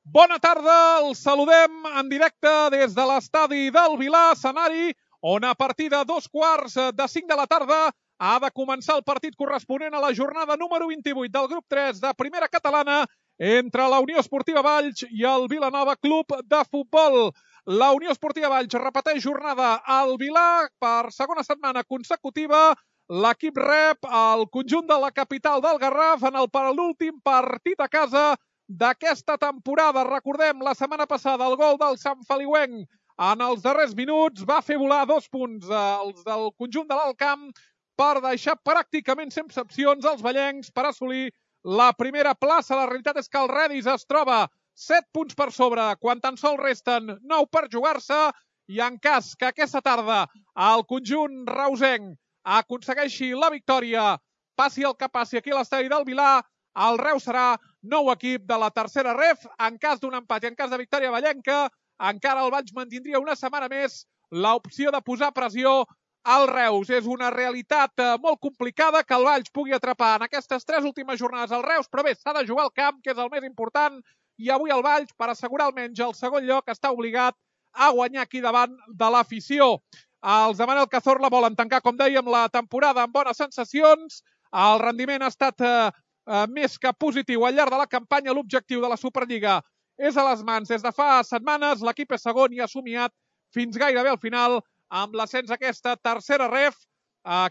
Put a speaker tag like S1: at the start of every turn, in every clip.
S1: Bona tarda, els saludem en directe des de l'estadi del Vilar, escenari on a partir de 2:45 de la tarda ha de començar el partit corresponent a la jornada número 28 del grup 3 de Primera Catalana entre la Unió Esportiva Valls i el Vilanova Club de Futbol. La Unió Esportiva Valls repeteix jornada al Vilar per segona setmana consecutiva. L'equip rep el conjunt de la capital del Garraf en el penúltim partit a casa d'aquesta temporada. Recordem, la setmana passada el gol del Sant Feliuenc en els darrers minuts va fer volar 2 punts els del conjunt de l'Alt Camp per deixar pràcticament sense opcions els vallencs per assolir la primera plaça. La realitat és que el Redis es troba 7 punts per sobre quan tan sols resten 9 per jugar-se, i en cas que aquesta tarda el conjunt reusenc aconsegueixi la victòria, passi el que passi aquí a l'estadi del Vilar, el Reus serà nou equip de la tercera ref. En cas d'un empat i en cas de victòria vallenca, encara el Valls mantindria una setmana més l'opció de posar pressió al Reus. És una realitat molt complicada que el Valls pugui atrapar en aquestes 3 últimes jornades al Reus, però bé, s'ha de jugar al camp, que és el més important, i avui el Valls, per assegurar almenys el segon lloc, està obligat a guanyar aquí davant de l'afició. Els de Manel Cazorla volen tancar, com dèiem, la temporada amb bones sensacions. El rendiment ha estat més que positiu al llarg de la campanya. L'objectiu de la Superliga és a les mans des de fa setmanes. L'equip és segon i ha somiat fins gairebé al final amb l'ascens a aquesta tercera ref.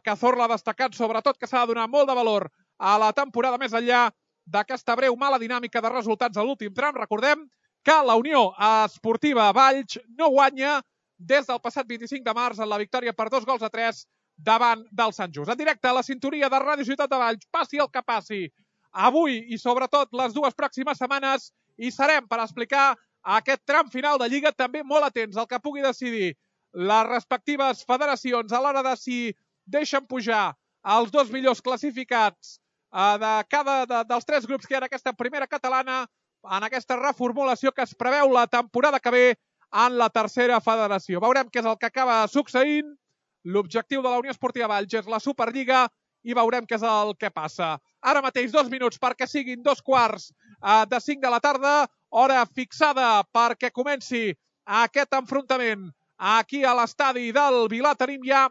S1: Cazorla ha destacat sobretot que s'ha de donar molt de valor a la temporada més enllà d'aquesta breu mala dinàmica de resultats a l'últim tram. Recordem que la Unió Esportiva Valls no guanya des del passat 25 de març en la victòria per 2-3 davant del Sant Just. En directe a la sintonia de Ràdio Ciutat de Valls, passi el que passi, avui i sobretot les 2 pròximes setmanes hi serem per explicar aquest tram final de Lliga, també molt atents al que pugui decidir les respectives federacions a l'hora de si deixen pujar els 2 millors classificats de cada dels 3 grups que hi ha en aquesta primera catalana, en aquesta reformulació que es preveu la temporada que ve en la tercera federació. Veurem què és el que acaba succeint. L'objectiu de la Unió Esportiva Valls és la Superliga i veurem què és el que passa. Ara mateix 2 minuts perquè siguin 2:45 de la tarda, hora fixada perquè comenci aquest enfrontament aquí a l'estadi del Vilar. Tenim ja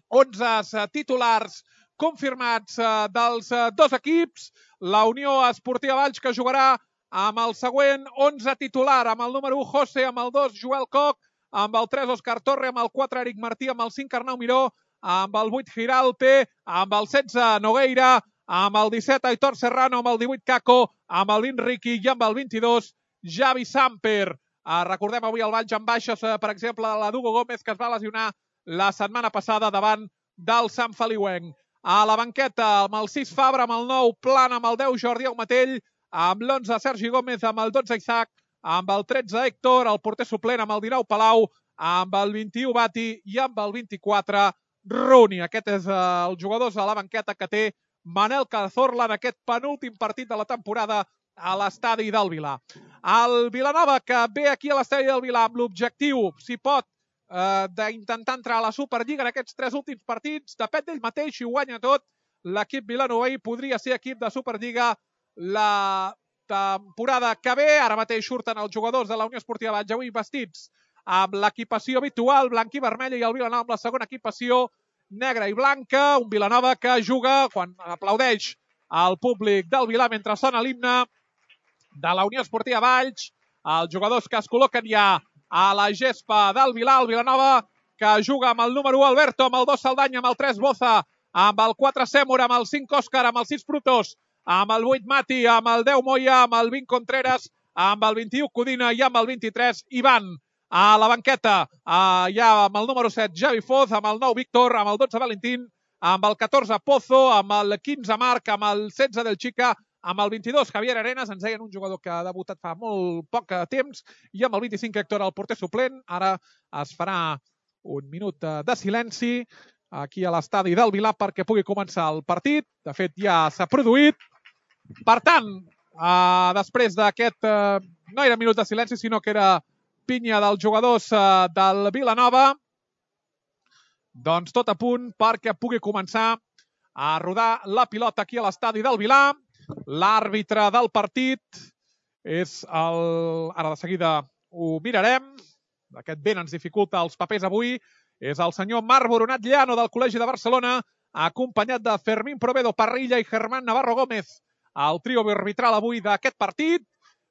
S1: 11 titulars confirmats dels 2 equips. La Unió Esportiva Valls, que jugarà amb el següent 11 titular, amb el número 1 José, amb el 2 Joel Koch, amb el 3 Òscar Torre, amb el 4 Eric Martí, amb el 5 Arnau Miró, amb el 8 Giralpe, amb el 16 Nogueira, amb el 17 Aitor Serrano, amb el 18 Caco, amb el Riqui i amb el 22 Javi Samper. Recordem avui el Valls amb baixes, per exemple, la d'Hugo Gómez, que es va lesionar la setmana passada davant del Sant Feliuenc. A la banqueta, amb el 6 Fabra, amb el 9 Plana, amb el 10 Jordi Aumatell, amb l'11 Sergi Gómez, amb el 12 Isaac, amb el 13 Héctor, el porter suplent amb el 19 Palau, amb el 21 Bati i amb el 24 Runi. Aquest és els jugadors a la banqueta que té Manel Cazorla en aquest penúltim partit de la temporada a l'estadi del Vilar. El Vilanova, que ve aquí a l'estadi del Vilar amb l'objectiu, si pot, d'intentar entrar a la Superliga en aquests 3 últims partits, depèn d'ell mateix, si ho guanya tot, l'equip vilanoví podria ser equip de Superliga la temporada que ve. Ara mateix surten els jugadors de la Unió Esportiva Valls avui vestits amb l'equipació habitual, blanc i vermella, i el Vilanova amb la segona equipació negra i blanca. Un Vilanova que juga quan aplaudeix al públic del Vilar mentre sona l'himne de la Unió Esportiva Valls. Els jugadors que es col·loquen ja a la gespa del Vilar. El Vilanova que juga amb el número 1 Alberto, amb el 2 Saldanya, amb el 3 Boza, amb el 4 Sèmora, amb el 5 Òscar, amb el 6 Frutos, amb el 8 Mati, amb el 10 Moya, amb el 20 Contreras, amb el 21 Codina i amb el 23 Ivan. A la banqueta ja amb el número 7 Javi Foz, amb el 9 Víctor, amb el 12 Valentín, amb el 14 Pozo, amb el 15 Marc, amb el 16 Del Chica, amb el 22 Javier Arenas, ens deien un jugador que ha debutat fa molt poc temps, i amb el 25 Héctor, el porter suplent. Ara es farà un minut de silenci aquí a l'estadi del Vilar perquè pugui començar el partit. De fet, ja s'ha produït. Per tant, després d'aquest, no era minut de silenci, sinó que era pinya dels jugadors del Vilanova, doncs tot a punt perquè pugui començar a rodar la pilota aquí a l'estadi del Vilar. L'àrbitre del partit Ara de seguida ho mirarem. Aquest vent ens dificulta els papers avui. És el senyor Marc Boronat Llano del Col·legi de Barcelona, acompanyat de Fermín Provedo Parrilla i Germán Navarro Gómez, el trio arbitral avui d'aquest partit.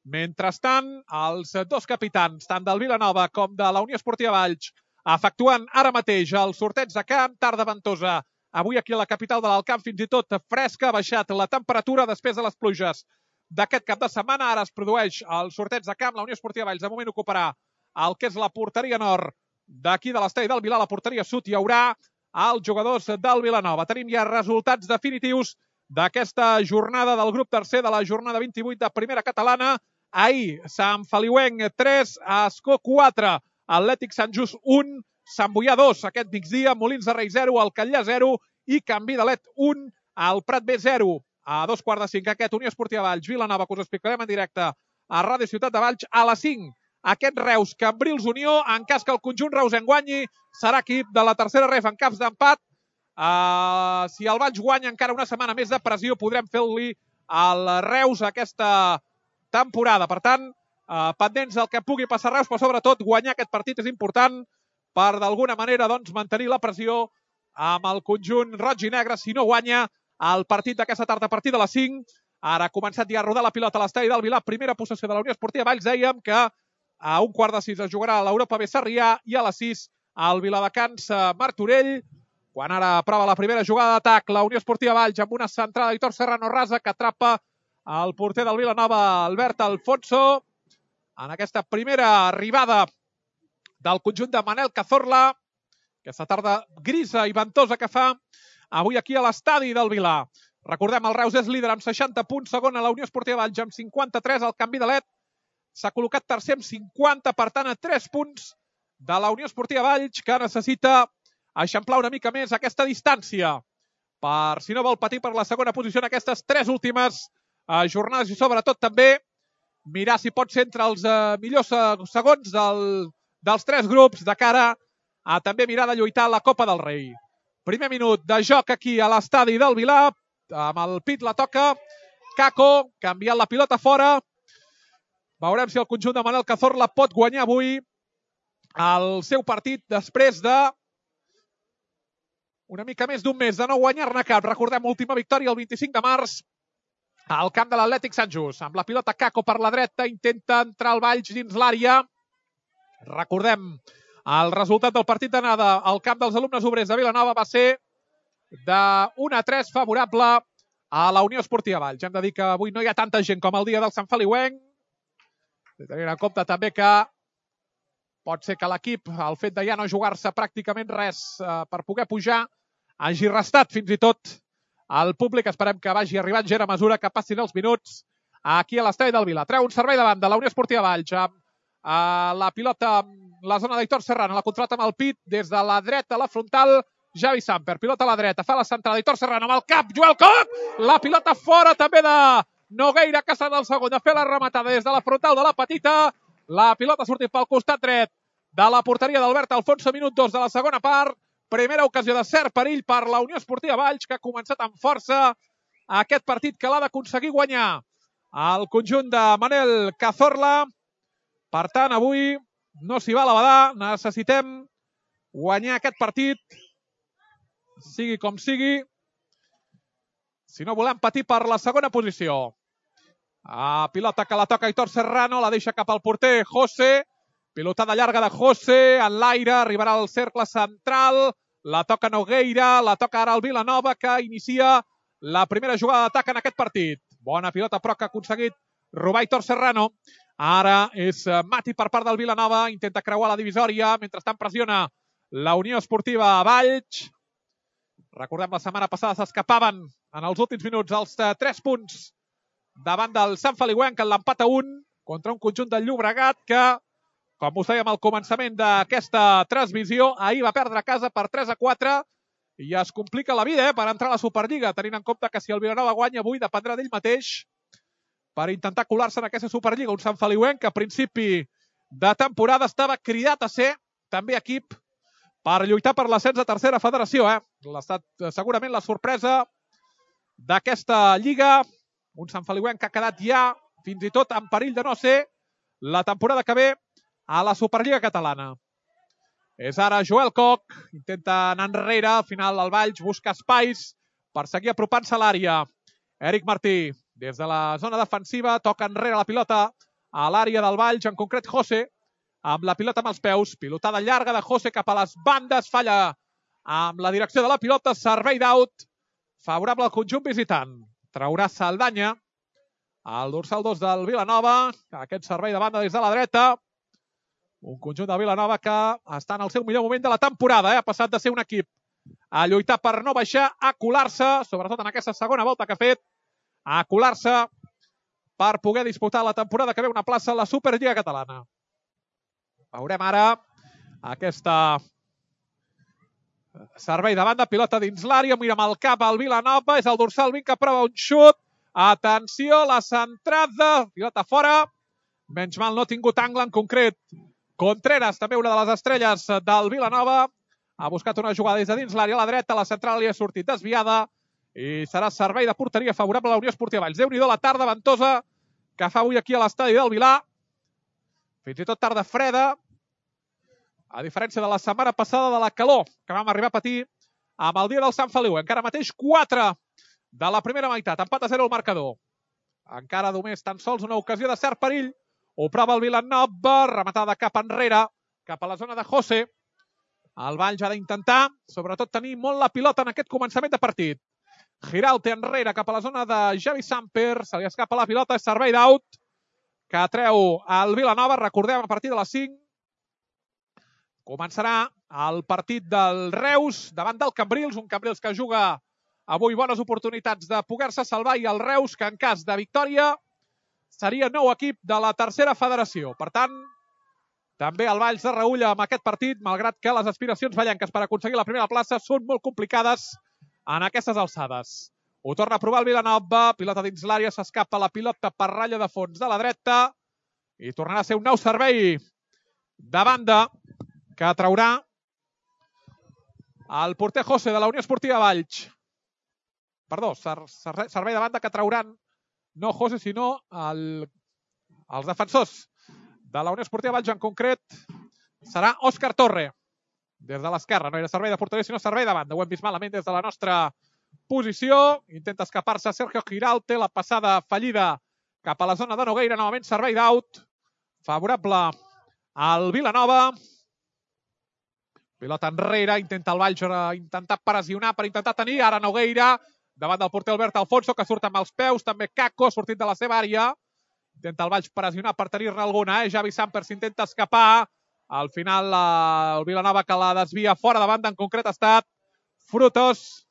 S1: Mentrestant, els dos capitans, tant del Vilanova com de la Unió Esportiva Valls, efectuant ara mateix el sorteig de camp, tarda ventosa. Avui aquí a la capital de l'Alt Camp fins i tot fresca, ha baixat la temperatura després de les pluges d'aquest cap de setmana. Ara es produeix el sorteig de camp. La Unió Esportiva Valls de moment ocuparà el que és la porteria nord d'aquí de l'estadi del Vilar. La porteria sud hi haurà els jugadors del Vilanova. Tenim ja resultats definitius d'aquesta jornada del grup tercer de la jornada 28 de Primera Catalana. Ahir, Sant Feliuenc 3, Ascó 4, Atlètic Sant Just 1, Sant Boià 2, aquest migdia, Molins de Rei 0, el Catllà 0 i Canvi de Let 1, el Prat B 0. A 2:45 aquest Unió Esportiva Valls, Vilanova, que us explicarem en directe a Ràdio Ciutat de Valls. A les 5, aquest Reus, Cambrils Unió, en cas que el conjunt reusenc guanyi, serà equip de la tercera ref en caps d'empat. Si el Valls guanya encara una setmana més de pressió, podrem fer-li al Reus aquesta temporada. Per tant, pendents del que pugui passar Reus, però sobretot guanyar aquest partit és important per d'alguna manera mantenir la pressió amb el conjunt roig i negre. Si no guanya el partit d'aquesta tarda a partir de les 5, ara ha començat ja a rodar la pilota a l'estadi del Vilar. Primera possessió de la Unió Esportiva Valls. Dèiem que a 1:15 es jugarà a l'Europa B Sarrià i a les 6 al Viladecans Martorell. Quan ara prova la primera jugada d'atac, la Unió Esportiva Valls amb una centrada d'Hitor Serrano rasa que atrapa el porter del Vilanova, Albert Alfonso. En aquesta primera arribada del conjunt de Manel Cazorla, aquesta tarda grisa i ventosa que fa avui aquí a l'estadi del Vilar. Recordem, el Reus és líder amb 60 punts, segon a la Unió Esportiva Valls amb 53, el Canvi de Let s'ha col·locat tercer amb 50, per tant a 3 punts de la Unió Esportiva Valls, que necessita eixamplar una mica més aquesta distància per, si no vol patir per la segona posició en aquestes 3 últimes jornades, i sobretot també mirar si pot ser entre els millors segons dels 3 grups de cara a també mirar de lluitar la Copa del Rei. Primer minut de joc aquí a l'estadi del Vilar, amb el pit la toca Caco, canviant la pilota fora. Veurem si el conjunt de Manel Cazorla pot guanyar avui el seu partit després de una mica més d'un mes de no guanyar-ne cap. Recordem, última victòria el 25 de març al camp de l'Atlètic Sant Just. Amb la pilota Caco per la dreta, intenta entrar el Valls dins l'àrea. Recordem, el resultat del partit d'anada al camp dels alumnes obrers de Vilanova va ser de 1-3 favorable a la Unió Esportiva Valls. Hem de dir que avui no hi ha tanta gent com el dia del Sant Feliuenc. Tenint en compte també que pot ser que l'equip, el fet de ja no jugar-se pràcticament res per poder pujar, hagi restat fins i tot al públic. Esperem que vagi arribant gent a mesura que passin els minuts aquí a l'estadi del Vilar. Treu un servei davant de la Unió Esportiva Valls amb la pilota, la zona d'Hitor Serrano, la contrata amb el pit des de la dreta a la frontal, Javi Samper, pilota a la dreta, fa la centrada d'Hitor Serrano amb el cap, Joel Coc, la pilota fora també de Nogueira, que serà el segon de fer la rematada des de la frontal de la petita, la pilota sortint pel costat dret de la porteria d'Albert Alfonso, minut 2 de la segona part. Primera ocasió de cert perill per la Unió Esportiva Valls, que ha començat amb força aquest partit, que l'ha d'aconseguir guanyar el conjunt de Manel Cazorla. Per tant, avui no s'hi va a la badar, necessitem guanyar aquest partit, sigui com sigui, si no volem patir per la segona posició. Pilota que la toca Hitor Serrano, la deixa cap al porter José, pilotada llarga de José, en l'aire, arribarà al cercle central, la toca Nogueira, la toca ara el Vilanova, que inicia la primera jugada d'atac en aquest partit. Bona pilota, però que ha aconseguit robar Hitor Serrano. Ara és Mati per part del Vilanova, intenta creuar la divisòria, mentrestant pressiona la Unió Esportiva Valls. Recordem, la setmana passada s'escapaven en els últims minuts els 3 punts davant del Sant Feliuenc, en l'empat a 1 contra un conjunt del Llobregat que, com us dèiem al començament d'aquesta transmissió, ahir va perdre a casa per 3-4 i es complica la vida per entrar a la Superliga, tenint en compte que si el Vilanova guanya avui dependrà d'ell mateix per intentar colar-se en aquesta Superliga. Un Sant Feliuenc que a principi de temporada estava cridat a ser també equip per lluitar per l'ascens a tercera federació. Ha estat segurament la sorpresa d'aquesta lliga. Un Sant Feliuenc que ha quedat ja fins i tot en perill de no ser la temporada que ve a la Superliga catalana. És ara Joel Koch, intenta anar enrere, al final el Valls busca espais per seguir apropant-se a l'àrea. Eric Martí, des de la zona defensiva, toca enrere la pilota a l'àrea del Valls, en concret José, amb la pilota amb els peus, pilotada llarga de José cap a les bandes, falla amb la direcció de la pilota, servei d'out, favorable al conjunt visitant. Traurà Saldanya, el dorsal 2 del Vilanova, aquest servei de banda des de la dreta, un conjunt de Vilanova que està en el seu millor moment de la temporada, ha passat de ser un equip a lluitar per no baixar, a colar-se, sobretot en aquesta segona volta que ha fet, a colar-se per poder disputar la temporada que ve una plaça a la Superliga catalana. Veurem ara aquesta servei de banda, pilota dins l'àrea, mira amb el cap al Vilanova, és el dorsal 20 que prova un xut, atenció, la centrada, pilota fora, menys mal no ha tingut angle en concret. Contreras, també una de les estrelles del Vilanova, ha buscat una jugada des de dins l'àrea a la dreta, la central li ha sortit desviada i serà servei de porteria favorable a la Unió Esportiva Valls. Déu-n'hi-do la tarda ventosa que fa avui aquí a l'estadi del Vilà. Fins i tot tarda freda, a diferència de la setmana passada de la calor que vam arribar a patir amb el dia del Sant Feliu. Encara mateix 4 de la primera meitat, empat a 0 el marcador. Encara només tan sols una ocasió de cert perill. Ho prova el Vilanova, rematada cap enrere, cap a la zona de José. El Valls ha d'intentar, sobretot, tenir molt la pilota en aquest començament de partit. Giralte enrere cap a la zona de Javi Samper, se li escapa la pilota, és servei d'out, que treu el Vilanova, recordem, a partir de les 5. Començarà el partit del Reus davant del Cambrils, un Cambrils que juga avui bones oportunitats de poder-se salvar, i el Reus que en cas de victòria seria nou equip de la tercera federació. Per tant, també el Valls de reülla amb aquest partit, malgrat que les aspiracions vallenques per aconseguir la primera plaça són molt complicades en aquestes alçades. Ho torna a provar el Vilanova, pilota dins l'àrea, s'escapa la pilota per ratlla de fons de la dreta i tornarà a ser un nou servei de banda que traurà el porter José de la Unió Esportiva Valls. Perdó, servei de banda que trauran no José, sinó els defensors de la Unió Esportiva Valls, en concret serà Òscar Torre, des de l'esquerra. No era servei de porteria, sinó servei de banda. Ho hem vist malament des de la nostra posició. Intenta escapar-se Sergio Giralte, la passada fallida cap a la zona de Nogueira. Novament servei d'out, favorable al Vilanova. Pilota enrere, intenta el Valls intentar pressionar per intentar tenir. Ara Nogueira, davant del porter Albert Alfonso, que surt amb els peus. També Caco, sortit de la seva àrea. Intenta el Valls pressionar per tenir-ne alguna. Javi Samper s'intenta escapar. Al final el Vilanova que la desvia fora de banda, en concret ha estat Frutos.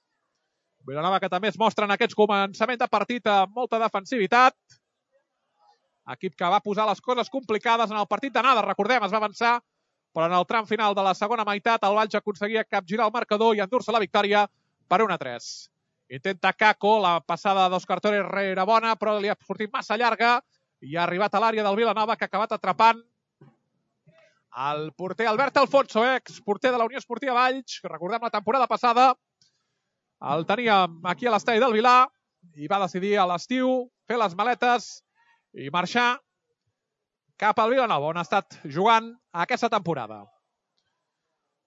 S1: Vilanova que també es mostra en aquests començaments de partit amb molta defensivitat. Equip que va posar les coses complicades en el partit d'anada. Recordem, es va avançar, però en el tram final de la segona meitat el Valls aconseguia capgirar el marcador i endur-se la victòria per 1-3. Intenta Caco, la passada d'Òscar Torre era bona, però li ha sortit massa llarga i ha arribat a l'àrea del Vilanova, que ha acabat atrapant el porter Albert Alfonso, exporter de la Unió Esportiva Valls, que recordem la temporada passada el teníem aquí a l'estadi del Vilà i va decidir a l'estiu fer les maletes i marxar cap al Vilanova, on ha estat jugant aquesta temporada.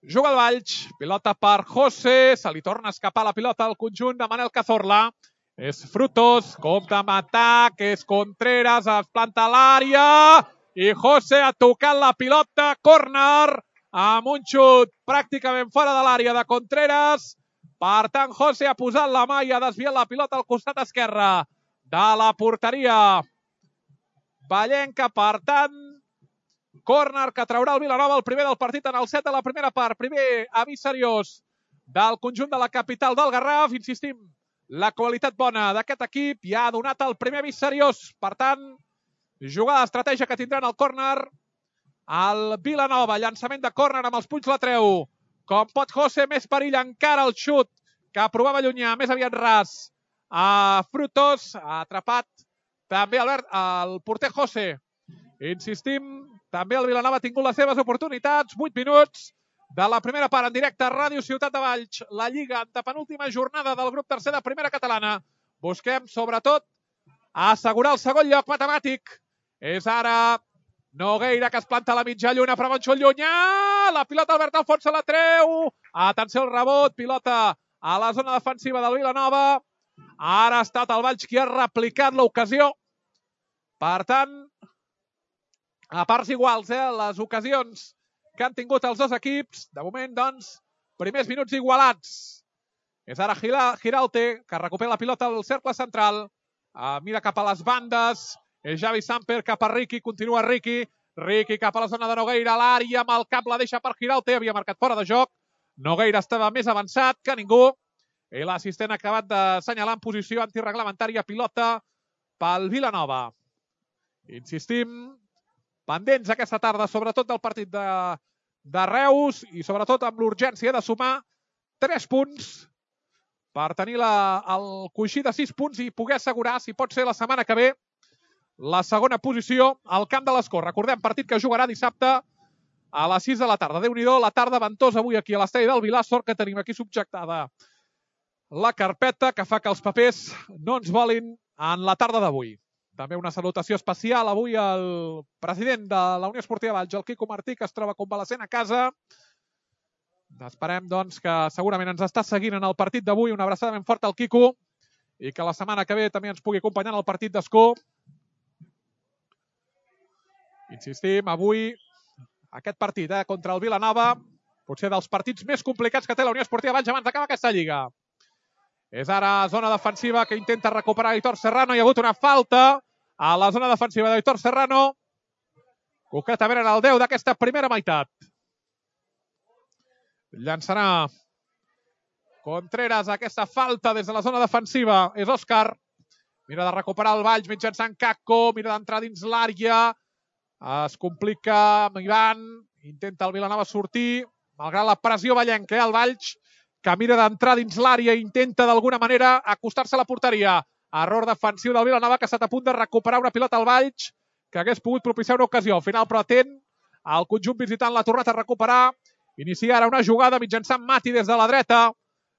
S1: Juga el Valls, pilota per José, se li torna a escapar la pilota al conjunt de Manel Cazorla. És Frutos, compta amb atac, és Contreras, es planta a l'àrea i José ha tocat la pilota, córner, amb un xut pràcticament fora de l'àrea de Contreras. Per tant, José ha posat la mà i ha desviat la pilota al costat esquerre de la porteria vallenca. Per tant, córner que traurà el Vilanova, el primer del partit en el set de la primera part. Primer avís seriós del conjunt de la capital del Garraf. Insistim, la qualitat bona d'aquest equip ja ha donat el primer avís seriós. Per tant, jugada d'estratègia que tindran el córner el Vilanova. Llançament de córner amb els punys la treu. Com pot José, més perill encara el xut que provava allunyar, més aviat ras a Frutos. Ha atrapat també el porter José. Insistim, també el Vilanova ha tingut les seves oportunitats. 8 minuts de la primera part en directe a Ràdio Ciutat de Valls. La Lliga, antepenúltima jornada del grup tercer de primera catalana. Busquem, sobretot, a assegurar el segon lloc matemàtic. És ara Nogueira, que es planta a la mitja lluna, però Monxó llunyà. La pilota Albert Alfonso la treu. Atenció al rebot, pilota a la zona defensiva del Vilanova. Ara ha estat el Valls qui ha replicat l'ocasió. Per tant, a parts iguals, les ocasions que han tingut els dos equips. De moment, doncs, primers minuts igualats. És ara Giralte, que recupera la pilota al cercle central. Mira cap a les bandes. És Javi Samper cap a Riqui. Continua Riqui. Riqui cap a la zona de Nogueira. L'àrea amb el cap la deixa per Giralte. Havia marcat fora de joc. Nogueira estava més avançat que ningú. I l'assistent ha acabat d'assenyalar en posició antireglamentària pilota pel Vilanova. Insistim, pendents aquesta tarda, sobretot del partit de Reus i sobretot amb l'urgència de sumar 3 punts per tenir el coixí de 6 punts i poder assegurar, si pot ser la setmana que ve, la segona posició al Camp de l'Escó. Recordem, partit que jugarà dissabte a les 6 de la tarda. Déu-n'hi-do, la tarda ventosa avui aquí a l'estadi del Vilar. Sort que tenim aquí subjectada la carpeta que fa que els papers no ens volin en la tarda d'avui. També una salutació especial avui al president de la Unió Esportiva Valls, el Quico Martí, que es troba convalescent a casa. Esperem, doncs, que segurament ens està seguint en el partit d'avui. Una abraçada ben forta al Quico i que la setmana que ve també ens pugui acompanyar en el partit d'Escó. Insistim, avui aquest partit contra el Vilanova, potser dels partits més complicats que té la Unió Esportiva Valls abans d'acabar aquesta lliga. És ara zona defensiva que intenta recuperar Aitor Serrano. Hi ha hagut una falta a la zona defensiva d'Aitor Serrano. Concretament en el 10 d'aquesta primera meitat. Llançarà Contreras aquesta falta des de la zona defensiva. És Òscar. Mira de recuperar el Valls mitjançant Caco. Mira d'entrar dins l'àrea. Es complica amb Ivan. Intenta el Vilanova sortir. Malgrat la pressió vallenca, el Valls, que mira d'entrar dins l'àrea i intenta d'alguna manera acostar-se a la porteria. Error defensiu del Vilanova, que ha estat a punt de recuperar una pilota al Valls, que hagués pogut propiciar una ocasió. Al final, però atent, el conjunt visitant l'ha tornat a recuperar. Inicia ara una jugada mitjançant Mati des de la dreta.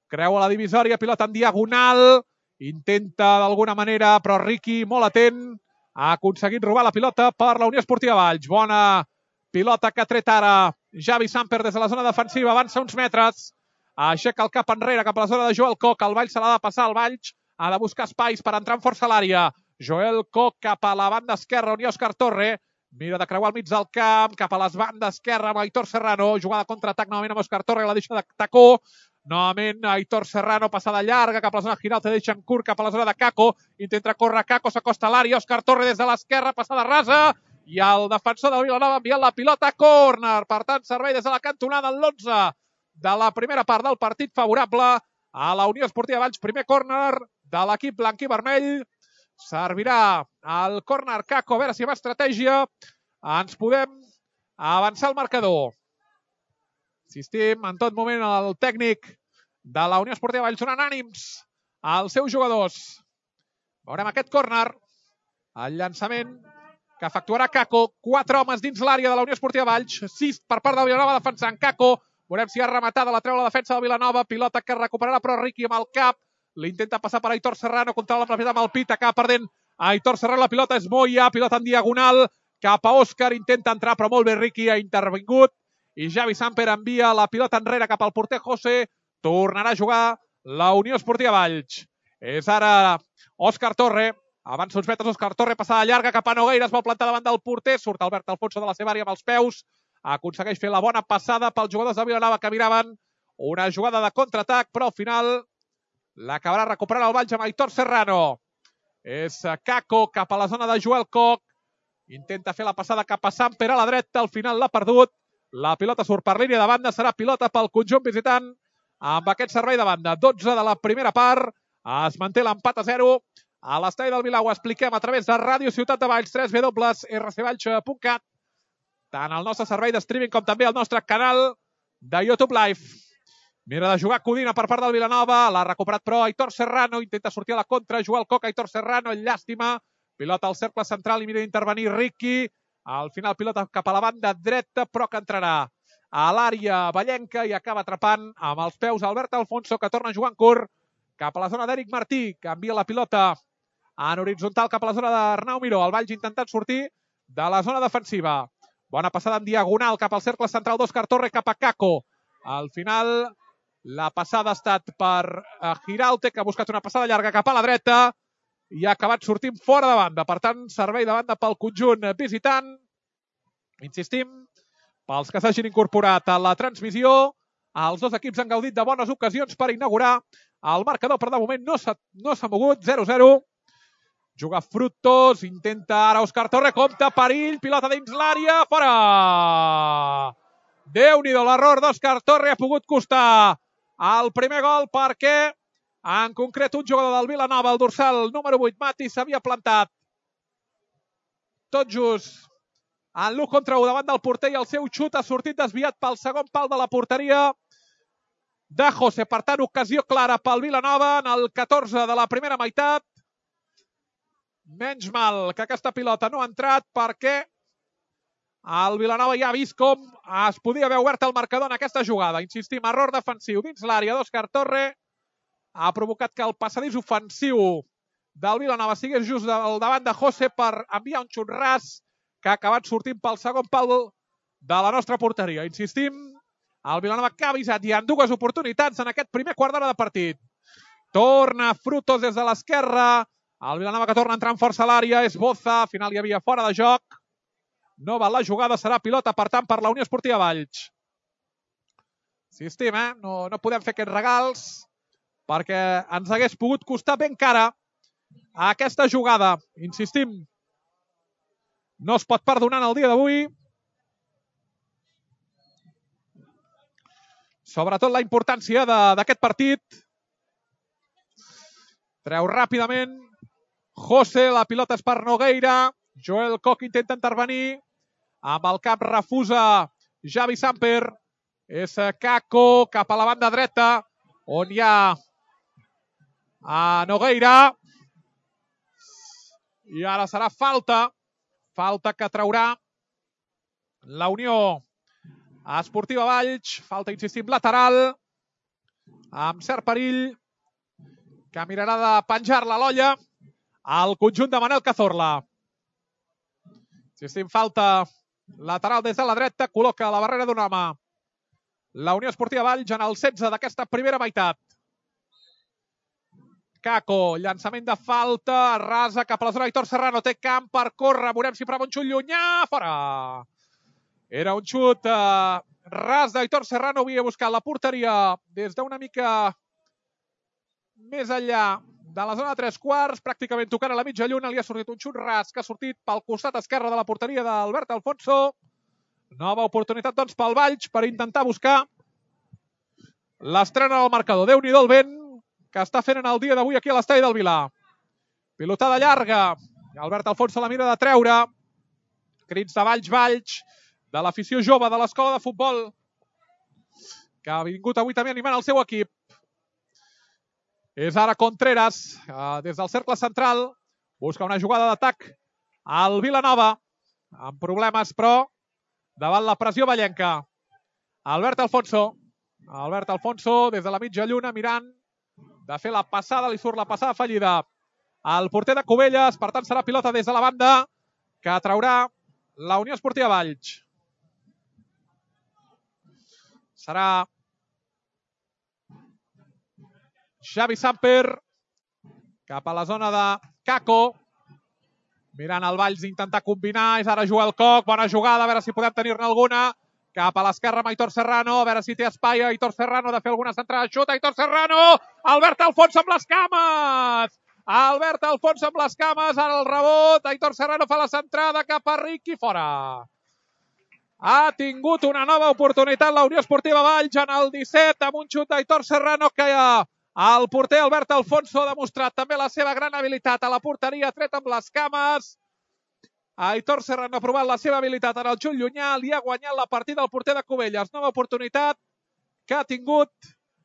S1: Creua la divisòria, pilota en diagonal. Intenta d'alguna manera, però Riqui, molt atent, ha aconseguit robar la pilota per la Unió Esportiva Valls. Bona pilota que ha tret ara Javi Samper des de la zona defensiva. Avança uns metres. Aixeca el cap enrere cap a la zona de Joel Koch. El Valls se l'ha de passar. El Valls ha de buscar espais per entrar amb força a l'àrea. Joel Koch cap a la banda esquerra, on hi ha Òscar Torre. Mira de creuar al mig del camp, cap a les bandes esquerra amb Aitor Serrano. Jugada contraatac novament amb Òscar Torre, la deixa de tacó. Novament Aitor Serrano, passada llarga cap a la zona Giralte, deixa en curt cap a la zona de Caco. Intenta córrer Caco, s'acosta a l'àrea. Òscar Torre des de l'esquerra, passada rasa. I el defensor del Vilanova enviant la pilota a córner. Per tant, servei des de la cantonada en l'11 de la primera part del partit, favorable a la Unió Esportiva Valls. Primer córner de l'equip blanc i vermell. Servirà el córner Caco, a veure si amb estratègia ens podem avançar al marcador. Insistim, en tot moment el tècnic de la Unió Esportiva Valls donant ànims als seus jugadors. Veurem aquest córner, el llançament que efectuarà Caco. 4 homes dins l'àrea de la Unió Esportiva Valls, 6 per part del Vilanova defensant Caco. Veurem si ha rematada, la treu la defensa del Vilanova. Pilota que recuperarà però Riqui amb el cap. L'intenta passar per Aitor Serrano, controla la propietat amb el pit, acaba perdent Aitor Serrano. La pilota és Moya, pilota en diagonal cap a Òscar, intenta entrar però molt bé Riqui, ha intervingut. I Javi Samper envia la pilota enrere cap al porter José. Tornarà a jugar la Unió Esportiva Valls. És ara Òscar Torre. Avança uns metres Òscar Torre, passada llarga cap a Nogueira, es vol plantar davant del porter. Surt Albert Alfonso de la seva àrea amb els peus. Aconsegueix fer la bona passada pels jugadors de Vilanova que miraven una jugada de contraatac, però al final l'acabarà recuperant el Valls amb Aitor Serrano. És Caco cap a la zona de Joel Koch. Intenta fer la passada cap a Samper a la dreta. Al final l'ha perdut. La pilota surt per línia de banda. Serà pilota pel conjunt visitant amb aquest servei de banda. 12 de la primera part. Es manté l'empat a 0 a l'estadi del Vilar. Ho expliquem a través de Ràdio Ciutat de Valls, www.rcvalls.cat. Tant el nostre servei de streaming com també el nostre canal de YouTube Live. Mira de jugar Codina per part del Vilanova. L'ha recuperat però Aitor Serrano. Intenta sortir a la contra. Joel Koch, Aitor Serrano. Llàstima. Pilota al cercle central i mira d'intervenir Riqui. Al final pilota cap a la banda dreta, però que entrarà a l'àrea vallenca i acaba atrapant amb els peus Albert Alfonso, que torna a jugar en curt cap a la zona d'Eric Martí, que envia la pilota en horitzontal cap a la zona d'Arnau Miró. El Valls intentant sortir de la zona defensiva. Bona passada en diagonal cap al cercle central d'Òscar Torre cap a Kako. Al final, la passada ha estat per Giraute, que ha buscat una passada llarga cap a la dreta i ha acabat sortint fora de banda. Per tant, servei de banda pel conjunt visitant. Insistim, pels que s'hagin incorporat a la transmissió, els dos equips han gaudit de bones ocasions per inaugurar el marcador, però de moment no s'ha mogut, 0-0. Juga Frutos, intenta ara Òscar Torre, compta, perill, pilota dins l'àrea, fora! Déu-n'hi-do, l'error d'Òscar Torre ha pogut costar el primer gol perquè, en concret, un jugador del Vilanova, el dorsal número 8, Mati, s'havia plantat tot just en l'1 contra 1 davant del porter i el seu xut ha sortit desviat pel segon pal de la porteria de José. Per tant, ocasió clara pel Vilanova en el 14 de la primera meitat. Menys mal que aquesta pilota no ha entrat perquè el Vilanova ja ha vist com es podia haver obert el marcador en aquesta jugada. Insistim, error defensiu dins l'àrea d'Òscar Torre. Ha provocat que el passadís ofensiu del Vilanova sigués just al davant de José per enviar un xut ras que ha acabat sortint pel segon pal de la nostra porteria. Insistim, el Vilanova que ha avisat ja en dues oportunitats en aquest primer quart d'hora de partit. Torna Frutos des de l'esquerra. El Vilanova que torna a entrar amb força a l'àrea és Boza. Al final hi havia fora de joc. No val la jugada, serà pilota, per tant, per la Unió Esportiva Valls. Insistim, no podem fer aquests regals perquè ens hagués pogut costar ben cara aquesta jugada. Insistim, no es pot perdonar en el dia d'avui. Sobretot la importància d'aquest partit. Treu ràpidament José, la pilota és per Nogueira. Joel Koch intenta intervenir. Amb el cap refusa Javi Samper. És Kako cap a la banda dreta, on hi ha a Nogueira. I ara serà falta. Falta que traurà la Unió Esportiva Valls. Falta, insistim, lateral. Amb cert perill. Que mirarà de penjar-la a l'olla al conjunt de Manel Cazorla. Insistim, falta lateral des de la dreta. Col·loca la barrera d'un home la Unió Esportiva Valls en el 16 d'aquesta primera meitat. Kako, llançament de falta, rasa cap a la zona d'Aitor Serrano, té camp per córrer, veurem si prova un xut llunyà, fora! Era un xut ras d'Aitor Serrano, havia buscat la porteria des d'una mica més enllà de la zona de 3/4, pràcticament tocant a la mitja lluna, li ha sortit un xut ras que ha sortit pel costat esquerre de la porteria d'Albert Alfonso. Nova oportunitat, doncs, pel Valls per intentar buscar l'estrena del marcador. Déu-n'hi-do el vent que està fent en el dia d'avui aquí a l'estadi del Vilar. Pilotada llarga. Albert Alfonso la mira de treure. Crits de Valls, de l'afició jove de l'escola de futbol, que ha vingut avui també animant el seu equip. És ara Contreras, des del cercle central. Busca una jugada d'atac al Vilanova, amb problemes, però davant la pressió vallenca. Albert Alfonso, des de la mitja lluna, mirant de fer la passada, li surt la passada fallida al porter de Cubelles, per tant serà pilota des de la banda que traurà la Unió Esportiva Valls. Serà Xavi Samper cap a la zona de Kako, mirant el Valls intentar combinar, és ara Joel Koch, bona jugada, a veure si podem tenir-ne alguna. Cap a l'esquerra amb Aitor Serrano, a veure si té espai Aitor Serrano de fer alguna centrada. Xut, Aitor Serrano! Albert Alfonso amb les cames! Albert Alfonso amb les cames, ara el rebot. Aitor Serrano fa la centrada cap a Riqui, fora. Ha tingut una nova oportunitat la Unió Esportiva Valls en el 17 amb un xut d'Aitor Serrano que el porter Albert Alfonso ha demostrat també la seva gran habilitat a la porteria, tret amb les cames. Aitor Serrano ha provat la seva habilitat en el xut llunyà, li ha guanyat la partida al porter de Cubelles. Nova oportunitat que ha tingut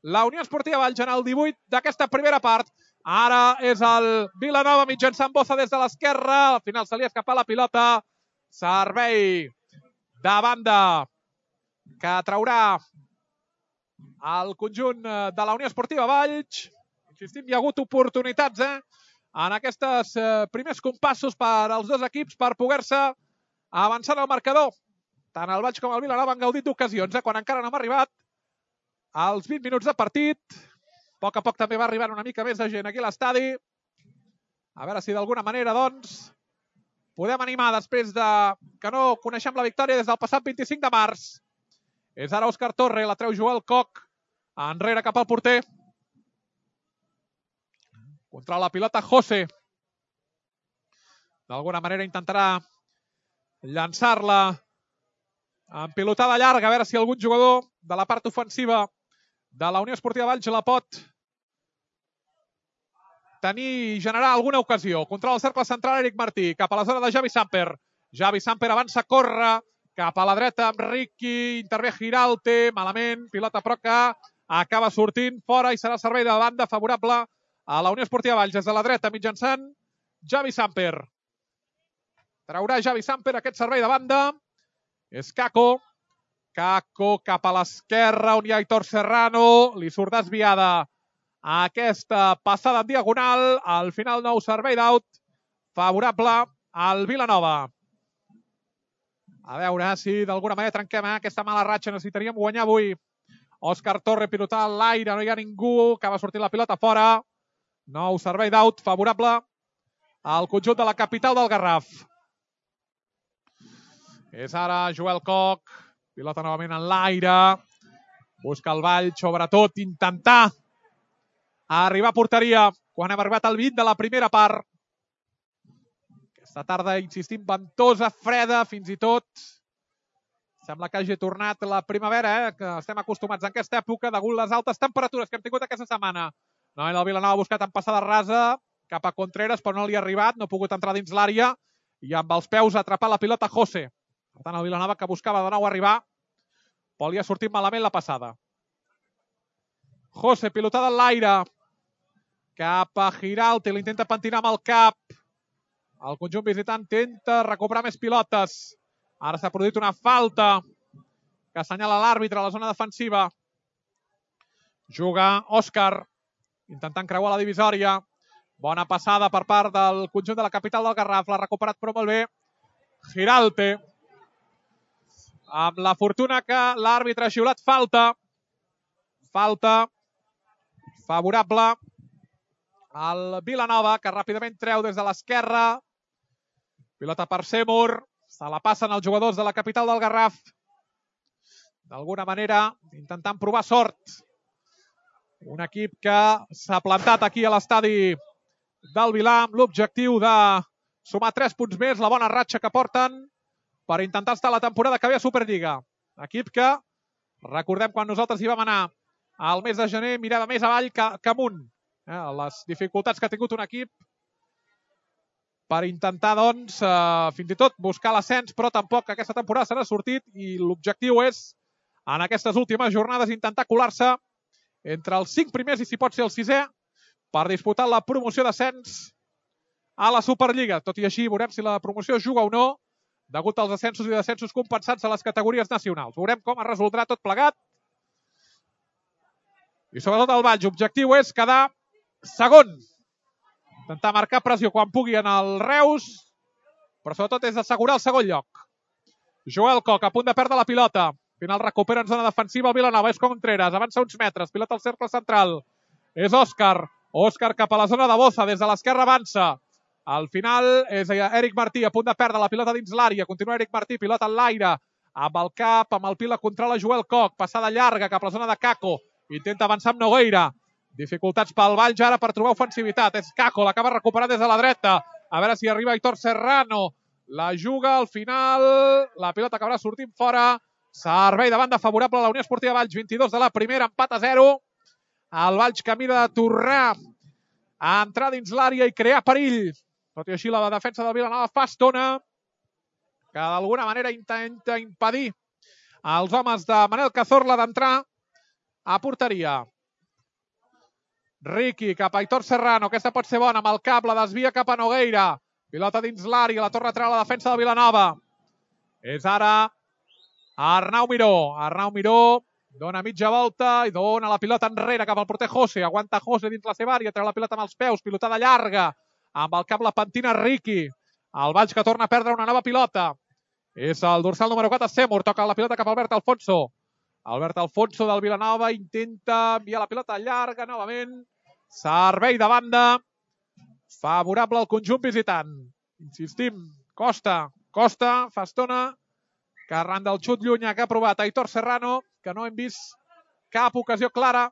S1: la Unió Esportiva Valls en el 18 d'aquesta primera part. Ara és el Vilanova mitjançant Boza des de l'esquerra. Al final se li ha escapat la pilota. Servei de banda que traurà el conjunt de la Unió Esportiva Valls. Insistim, hi ha hagut oportunitats en aquests primers compassos per als dos equips per poder-se avançar en el marcador. Tant el Valls com el Vilanova han gaudit d'ocasions, quan encara no hem arribat als 20 minuts de partit. A poc també va arribant una mica més de gent aquí a l'estadi. A veure si d'alguna manera, doncs, podem animar després que no coneixem la victòria des del passat 25 de març. És ara Òscar Torre, la treu Joel Koch, enrere cap al porter. Controla la pilota José. D'alguna manera intentarà llançar-la en pilotada llarga, a veure si algun jugador de la part ofensiva de la Unió Esportiva Valls la pot tenir i generar alguna ocasió. Controla el cercle central Eric Martí, cap a la zona de Javi Samper. Javi Samper avança, corre, cap a la dreta amb Ricky, intervé Giralte, malament, pilota però que acaba sortint fora i serà servei de banda favorable a la Unió Esportiva Valls des de la dreta mitjançant Javi Samper. Traurà Javi Samper aquest servei de banda. És Caco. Caco cap a l'esquerra on hi ha Aitor Serrano. Li surt desviada aquesta passada en diagonal. Al final nou servei d'out favorable al Vilanova. A veure si d'alguna manera trenquem aquesta mala ratxa. Necessitaríem guanyar avui. Òscar Torre pilotant a l'aire, no hi ha ningú. Acaba sortint la pilota fora. Nou servei d'out favorable al conjunt de la capital del Garraf. És ara Joel Koch. Pilota novament en l'aire. Busca el Vall, sobretot intentar arribar a porteria quan hem arribat al 20 de la primera part. Aquesta tarda, insistim, ventosa, freda, fins i tot. Sembla que hagi tornat la primavera, que estem acostumats en aquesta època, degut a les altes temperatures que hem tingut aquesta setmana. Novament el Vilanova ha buscat en passada rasa cap a Contreras, però no li ha arribat, no ha pogut entrar dins l'àrea i amb els peus ha atrapat la pilota José. Per tant, el Vilanova que buscava de nou arribar, però li ha sortit malament la passada. José, pilotada en l'aire, cap a Giralte, l'intenta pentinar amb el cap. El conjunt visitant intenta recuperar més pilotes. Ara s'ha produït una falta que assenyala l'àrbitre a la zona defensiva. Juga Òscar, intentant creuar la divisòria. Bona passada per part del conjunt de la capital del Garraf. L'ha recuperat però molt bé Giralte. Amb la fortuna que l'àrbitre ha xiulat falta. Falta favorable al Vilanova, que ràpidament treu des de l'esquerra. Pilota per Seymour. Se la passen els jugadors de la capital del Garraf. D'alguna manera, intentant provar sort. Un equip que s'ha plantat aquí a l'estadi del Vilà amb l'objectiu de sumar 3 punts més, la bona ratxa que porten per intentar estar la temporada que ve a Superliga. Equip que, recordem quan nosaltres hi vam anar al mes de gener, mirava més avall que amunt. Les dificultats que ha tingut un equip per intentar, doncs, fins i tot buscar l'ascens, però tampoc aquesta temporada se n'ha sortit i l'objectiu és, en aquestes últimes jornades, intentar colar-se entre els 5 primers i, si pot ser, el 6è, per disputar la promoció d'ascens a la Superliga. Tot i així, veurem si la promoció es juga o no, degut als ascensos i descensos compensats a les categories nacionals. Veurem com es resoldrà tot plegat. I sobretot el Valls, l'objectiu és quedar segon. Intentar marcar pressió quan pugui en el Reus, però sobretot és assegurar el segon lloc. Joel Koch, a punt de perdre la pilota. Al final recupera en zona defensiva el Vilanova. És Contreras, avança uns metres, pilota al cercle central. És Òscar. Òscar cap a la zona de Boza, des de l'esquerra avança. Al final és Eric Martí, a punt de perdre la pilota dins l'àrea. Continua Eric Martí, pilota en l'aire. Amb el cap, amb el pila, controla Joel Koch. Passada llarga cap a la zona de Caco. Intenta avançar amb Nogueira. Dificultats pel Valls ara per trobar ofensivitat. És Caco, l'acaba recuperant des de la dreta. A veure si arriba Aitor Serrano. La juga al final. La pilota acabarà sortint fora. Servei de banda favorable a la Unió Esportiva Valls. 22 de la primera, empat a 0. El Valls que mira de tornar a entrar dins l'àrea i crear perill. Tot i així, la defensa del Vilanova fa estona que d'alguna manera intenta impedir als homes de Manel Cazorla d'entrar a porteria. Ricky cap a Aitor Serrano. Aquesta pot ser bona amb el cap. La desvia cap a Nogueira. Pilota dins l'àrea. La torna a treure la defensa del Vilanova. És ara Arnau Miró. Arnau Miró dona mitja volta i dona la pilota enrere cap al porter José. Aguanta José dins la seva àrea. Treu la pilota amb els peus. Pilotada llarga. amb el cap la pentina Riqui. El Valls que torna a perdre una nova pilota. És el dorsal número 4, Seymour. Toca la pilota cap a Albert Alfonso. Albert Alfonso del Vilanova intenta enviar la pilota llarga novament. Servei de banda. Favorable al conjunt visitant. Insistim, Costa, fa estona que arran del xut llunyà que ha provat Aitor Serrano, que no hem vist cap ocasió clara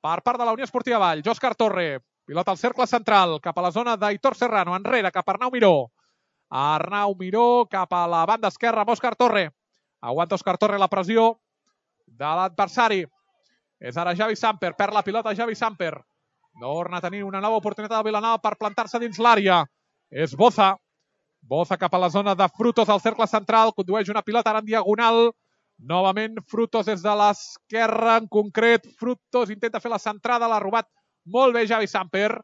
S1: per part de la Unió Esportiva Valls. Òscar Torre, pilota al cercle central, cap a la zona d'Aitor Serrano, enrere, cap a Arnau Miró. Arnau Miró cap a la banda esquerra amb Òscar Torre. Aguanta Òscar Torre la pressió de l'adversari. És ara Javi Samper, perd la pilota Javi Samper. Torna a tenir una nova oportunitat de Vilanova per plantar-se dins l'àrea. És Boza. Boza cap a la zona de Frutos al cercle central. Condueix una pilota ara en diagonal. Novament Frutos des de l'esquerra. En concret, Frutos intenta fer la centrada. L'ha robat molt bé Javi Samper.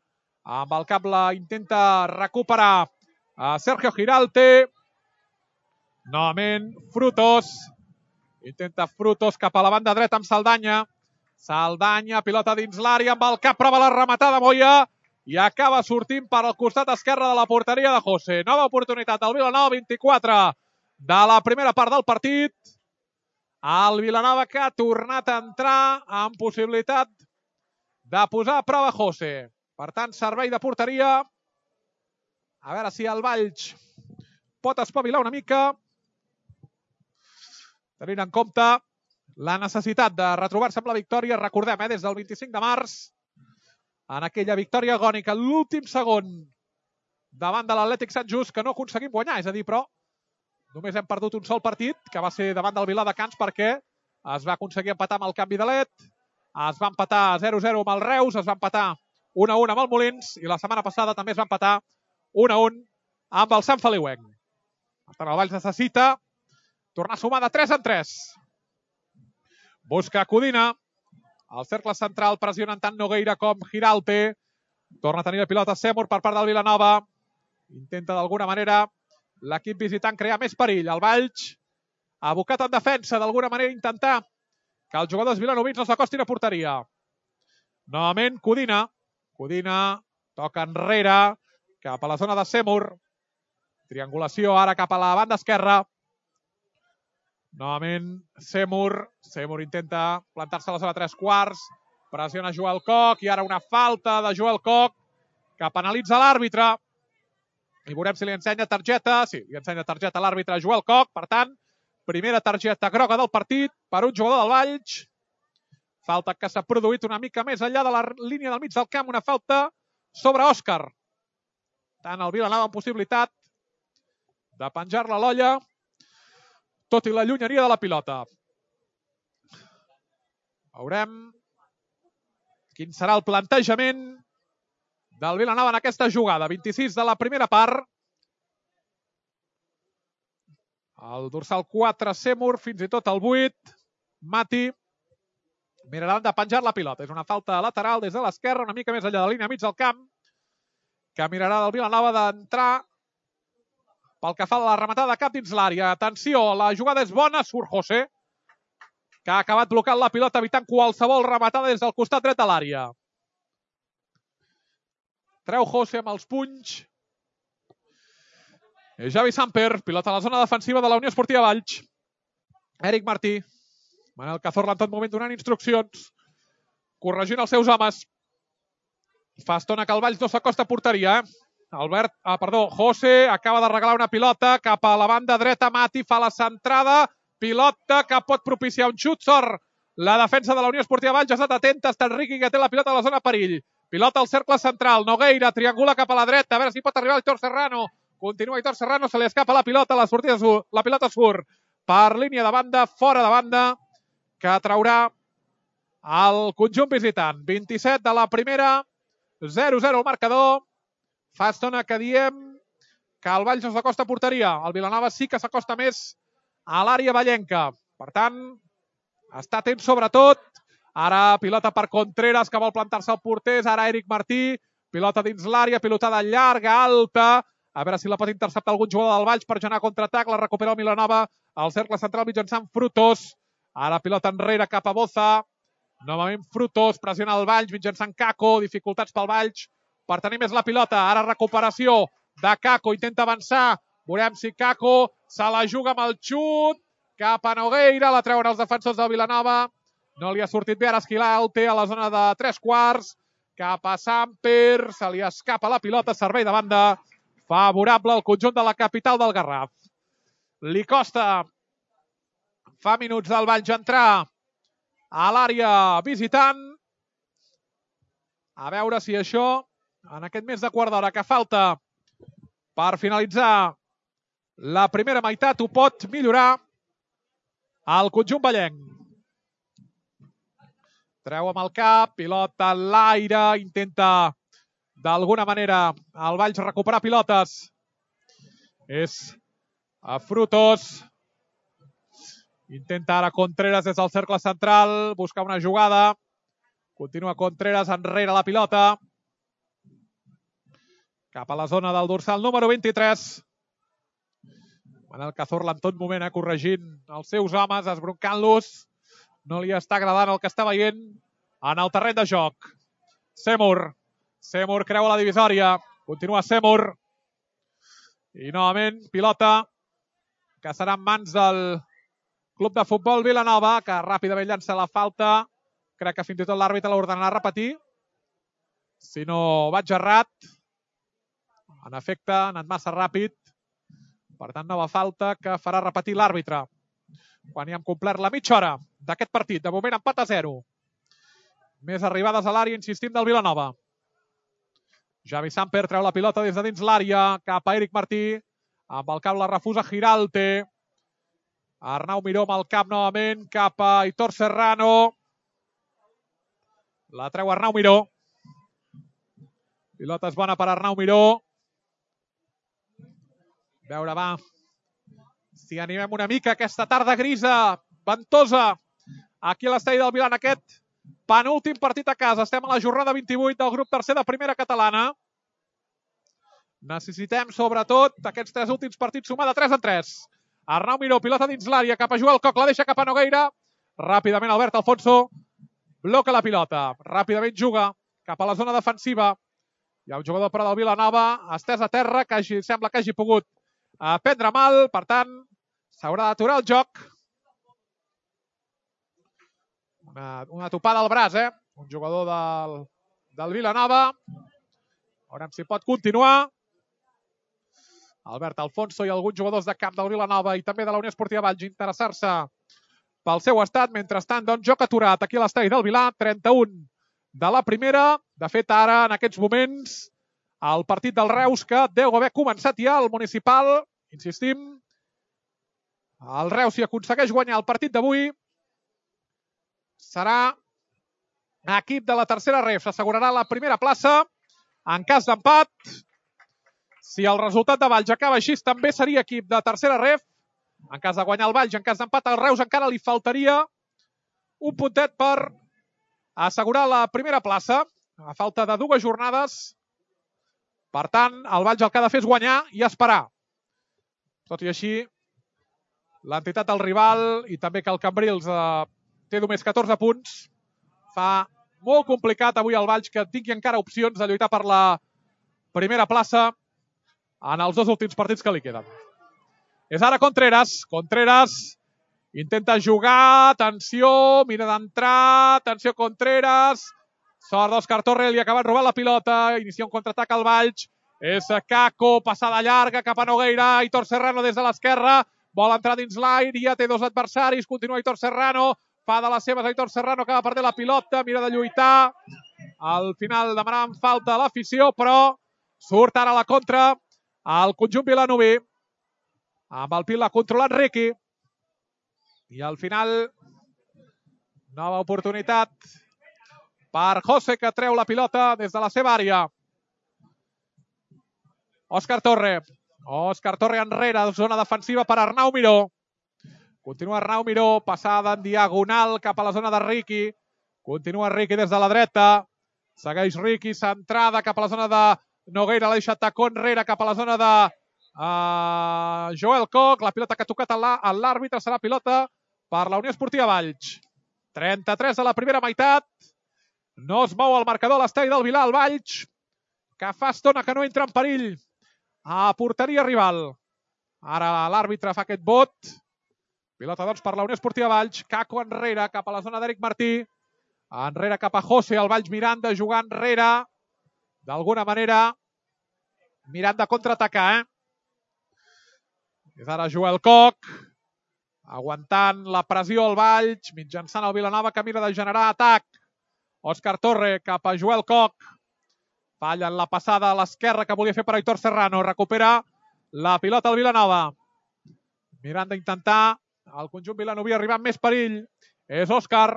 S1: Amb el cap la intenta recuperar a Sergio Giralte. Novament Frutos. Intenta Frutos cap a la banda dreta amb Saldanya. Saldanya, pilota dins l'àrea amb el cap, prova la rematada Moya i acaba sortint per al costat esquerre de la porteria de José. Nova oportunitat del Vilanova, 24 de la primera part del partit. El Vilanova que ha tornat a entrar amb possibilitat de posar a prova José. Per tant, servei de porteria. A veure si el Valls pot espavilar una mica, tenint en compte la necessitat de retrobar-se amb la victòria. Recordem, des del 25 de març, en aquella victòria agònica, l'últim segon davant de l'Atlètic Sant Just, que no aconseguim guanyar. És a dir, però només hem perdut un sol partit, que va ser davant del Viladecans, perquè es va aconseguir empatar amb el canvi de led, es va empatar 0-0 amb el Reus, es va empatar 1-1 amb el Molins, i la setmana passada també es va empatar 1-1 amb el Sant Feliuenc. Per tant, el Valls necessita tornar a sumar de 3 en 3. Busca Codina. Al cercle central pressionen tant Nogueira com Giralte. Torna a tenir la pilota Seymour per part del Vilanova. Intenta d'alguna manera l'equip visitant crear més perill. El Valls, abocat en defensa, d'alguna manera intentar que els jugadors vilanovins no s'acostin a porteria. Novament Codina. Codina toca enrere cap a la zona de Seymour. Triangulació ara cap a la banda esquerra. Novament Seymour. Seymour intenta plantar-se a la zona 3/4. Pressiona Joel Koch i ara una falta de Joel Koch que penalitza l'àrbitre. I veurem si li ensenya targeta. Sí, li ensenya targeta a l'àrbitre Joel Koch. Per tant, primera targeta groga del partit per un jugador del Valls. Falta que s'ha produït una mica més enllà de la línia del mig del camp. Una falta sobre Òscar. Tant el Vilanova amb possibilitat de penjar-la a l'olla, tot i la llunyeria de la pilota. Veurem quin serà el plantejament del Vilanova en aquesta jugada. 26 de la primera part. El dorsal 4, Seymour, fins i tot el 8. Mati miraran de penjar la pilota. És una falta lateral des de l'esquerra, una mica més enllà de la línia mig del camp, que mirarà del Vilanova d'entrar pel que fa a la rematada de cap dins l'àrea. Atenció, la jugada és bona, surt José, que ha acabat blocant la pilota, evitant qualsevol rematada des del costat dret de l'àrea. Treu José amb els punys. Javi Samper, pilota a la zona defensiva de la Unió Esportiva Valls. Eric Martí. Manel Cazorla en tot moment donant instruccions, corregint els seus homes. Fa estona que el Valls no s'acosta a porteria, José acaba de regalar una pilota cap a la banda dreta. Mati fa la centrada. Pilota que pot propiciar un xut. Sort la defensa de la Unió Esportiva Valls. Ha estat atenta. Està Enriqui que té la pilota a la zona perill. Pilota al cercle central. Nogueira triangula cap a la dreta. A veure si pot arribar Aitor Serrano. Continua Aitor Serrano. Se li escapa la pilota. La pilota surt per línia de banda, fora de banda, que traurà el conjunt visitant. 27 de la primera. 0-0 el marcador. Fa estona que diem que el Valls no s'acosta a porteria. El Vilanova sí que s'acosta més a l'àrea vallenca. Per tant, està atent sobretot. Ara pilota per Contreras, que vol plantar-se al porter. Ara Eric Martí. Pilota dins l'àrea, pilotada llarga, alta. A veure si la pot interceptar algun jugador del Valls per generar contraatac. La recupera el Vilanova al cercle central mitjançant Frutos. Ara pilota enrere cap a Boza. Novament Frutos, pressiona el Valls mitjançant Caco. Dificultats pel Valls. per tenir més la pilota. Ara recuperació de Kako, intenta avançar. Veurem si Kako se la juga amb el xut cap a Nogueira, la treuen els defensors del Vilanova. No li ha sortit bé, ara Esquilà el té a la zona de 3/4. Cap a Samper, se li escapa la pilota, servei de banda. Favorable al conjunt de la capital del Garraf. Li costa fa minuts del Valls entrar a l'àrea visitant. A veure si això, en aquest més de quart d'hora que falta per finalitzar la primera meitat, ho pot millorar el conjunt vallenc. Treu amb el cap, pilota en l'aire, intenta d'alguna manera el Valls recuperar pilotes. És a Frutos. Intenta ara Contreras des del cercle central, buscar una jugada. Continua Contreras enrere la pilota. Cap a la zona del dorsal número 23. Manel Cazorla en tot moment corregint els seus homes, esbroncant-los. No li està agradant el que està veient en el terreny de joc. Seymour creua la divisòria. Continua Seymour. I novament pilota que serà en mans del Club de Futbol Vilanova, que ràpidament llança la falta. Crec que fins i tot l'àrbitre l'ordenarà repetir. Si no vaig errat. En efecte, ha anat massa ràpid. Per tant, nova falta que farà repetir l'àrbitre. Quan ja hem complert la mitja hora d'aquest partit. De moment, empat a 0. Més arribades a l'àrea, insistim, del Vilanova. Javi Samper treu la pilota des de dins l'àrea, cap a Eric Martí. Amb el cap la refusa Giralte. Arnau Miró amb el cap novament, cap a Aitor Serrano. La treu Arnau Miró. Pilota és bona per Arnau Miró. A veure, va, si animem una mica aquesta tarda grisa, ventosa, aquí a l'estadi del Vilan, aquest penúltim partit a casa. Estem a la jornada 28 del grup tercer de primera catalana. Necessitem, sobretot, aquests 3 últims partits sumar de 3 en 3. Arnau Miró, pilota dins l'àrea, cap a Joel Coc, la deixa cap a Nogueira. Ràpidament Albert Alfonso bloca la pilota. Ràpidament juga cap a la zona defensiva. Hi ha un jugador però del Vilanova, estès a terra, que sembla que hagi pogut prendre mal. Per tant, s'haurà d'aturar el joc. Una topada al braç, un jugador del Vilanova. Veurem si pot continuar. Albert Alfonso i alguns jugadors de camp del Vilanova i també de la Unió Esportiva Valls interessar-se pel seu estat. Mentrestant, doncs, joc aturat aquí a l'estadi del Vilar, 31 de la primera. De fet, ara, en aquests moments, el partit del Reus, que deu haver començat ja al municipal. Insistim, el Reus, si aconsegueix guanyar el partit d'avui, serà equip de la tercera ref. S'assegurarà la primera plaça. En cas d'empat, si el resultat de Valls acaba així, també seria equip de tercera ref. En cas de guanyar el Valls, en cas d'empat, al Reus encara li faltaria un puntet per assegurar la primera plaça, a falta de 2 jornades. Per tant, el Valls el que ha de fer és guanyar i esperar. Tot i així, l'entitat del rival i també que el Cambrils té només 14 punts, fa molt complicat avui el Valls que tingui encara opcions de lluitar per la primera plaça en els 2 últims partits que li queden. És ara Contreras. Contreras intenta jugar. Atenció, mira d'entrar. Atenció, Contreras. Sort d'Òscar Torre, li acaben robant la pilota. Inicia un contraatac al Valls. És Kako, passada llarga cap a Nogueira. Aitor Serrano des de l'esquerra. Vol entrar dins l'aire, ja té 2 adversaris. Continua Aitor Serrano. Fa de les seves Aitor Serrano, acaba perdent la pilota. Mira de lluitar. Al final demanàvem falta a l'afició, però surt ara a la contra el conjunt vilanoví. Amb el pil l'ha controlat Riqui. I al final, nova oportunitat per José, que treu la pilota des de la seva àrea. Òscar Torre. Òscar Torre enrere, zona defensiva per Arnau Miró. Continua Arnau Miró, passada en diagonal cap a la zona de Riqui. Continua Riqui des de la dreta. Segueix Riqui, centrada cap a la zona de Nogueira, la deixa tacó enrere cap a la zona de Joel Coc. La pilota que ha tocat a l'àrbitre serà pilota per la Unió Esportiva Valls. 33 a la primera meitat. No es mou el marcador a l'estadi del Vilar, el Valls, que fa estona que no entra en perill a porteria rival. Ara l'àrbitre fa aquest vot. Pilota, doncs, per la Unió Esportiva Valls. Caco enrere, cap a la zona d'Eric Martí. Enrere cap a José, el Valls Miranda jugant enrere. D'alguna manera, mirant de contraatacar, És ara Joel Coc, aguantant la pressió al Valls, mitjançant el Vilanova que mira de generar atac. Òscar Torre cap a Joel Coc. Falla en la passada a l'esquerra que volia fer per Aitor Serrano. Recupera la pilota al Vilanova. Mirant d'intentar el conjunt vilanoví arribar amb més perill. És Òscar.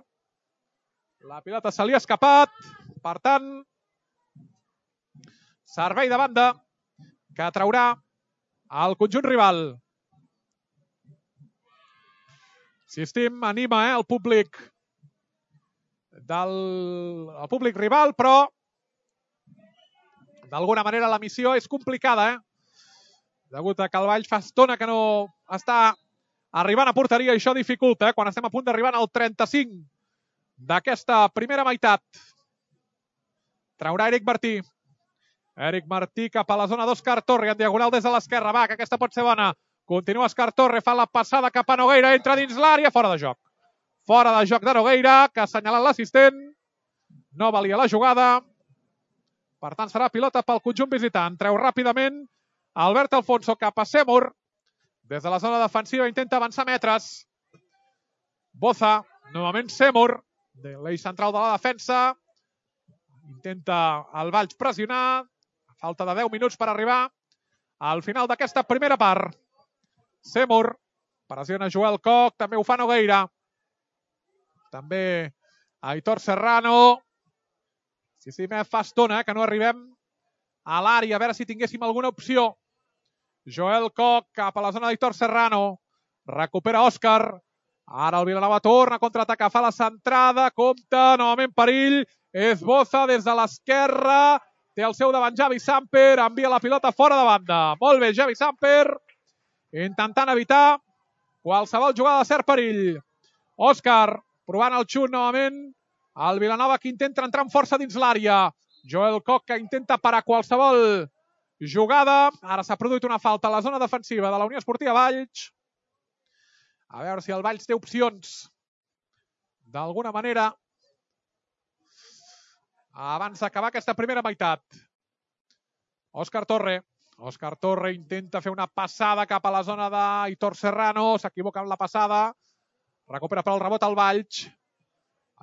S1: La pilota se li ha escapat. Per tant, servei de banda que traurà el conjunt rival. Insistim, anima el públic el públic rival, però d'alguna manera la missió és complicada, degut a que el Valls fa estona que no està arribant a porteria i això dificulta quan estem a punt d'arribar al 35 d'aquesta primera meitat. Traurà Eric Martí. Eric Martí cap a la zona d'Òscar Torre, en diagonal des de l'esquerra. Va, que aquesta pot ser bona. Continua Òscar Torre, fa la passada cap a Nogueira, entra dins l'àrea, fora de joc. Fora de joc de Nogueira, que ha assenyalat l'assistent. No valia la jugada. Per tant, serà pilota pel conjunt visitant. Treu ràpidament Albert Alfonso cap a Seymour. Des de la zona defensiva intenta avançar metres. Boza, novament Seymour, de l'eix central de la defensa. Intenta el Valls pressionar. Falta de 10 minuts per arribar al final d'aquesta primera part. Seymour pressiona Joel Coc, també ho fa Nogueira. També Aitor Serrano. Sí, fa estona que no arribem a l'àrea, a veure si tinguéssim alguna opció. Joel Coc cap a la zona d'Aitor Serrano. Recupera Òscar. Ara el Vilanova torna a contraatacar, fa la centrada, compta, novament perill. És Boza des de l'esquerra. Té el seu davant Javi Samper, envia la pilota fora de banda. Molt bé, Javi Samper, intentant evitar qualsevol jugada de cert perill. Òscar, provant el xut novament. El Vilanova que intenta entrar amb força dins l'àrea. Joel Coc que intenta parar qualsevol jugada. Ara s'ha produït una falta a la zona defensiva de la Unió Esportiva Valls. A veure si el Valls té opcions d'alguna manera abans d'acabar aquesta primera meitat. Òscar Torre. Òscar Torre intenta fer una passada cap a la zona d'Aitor Serrano. S'equivoca amb la passada. Recupera per al rebot el Valls.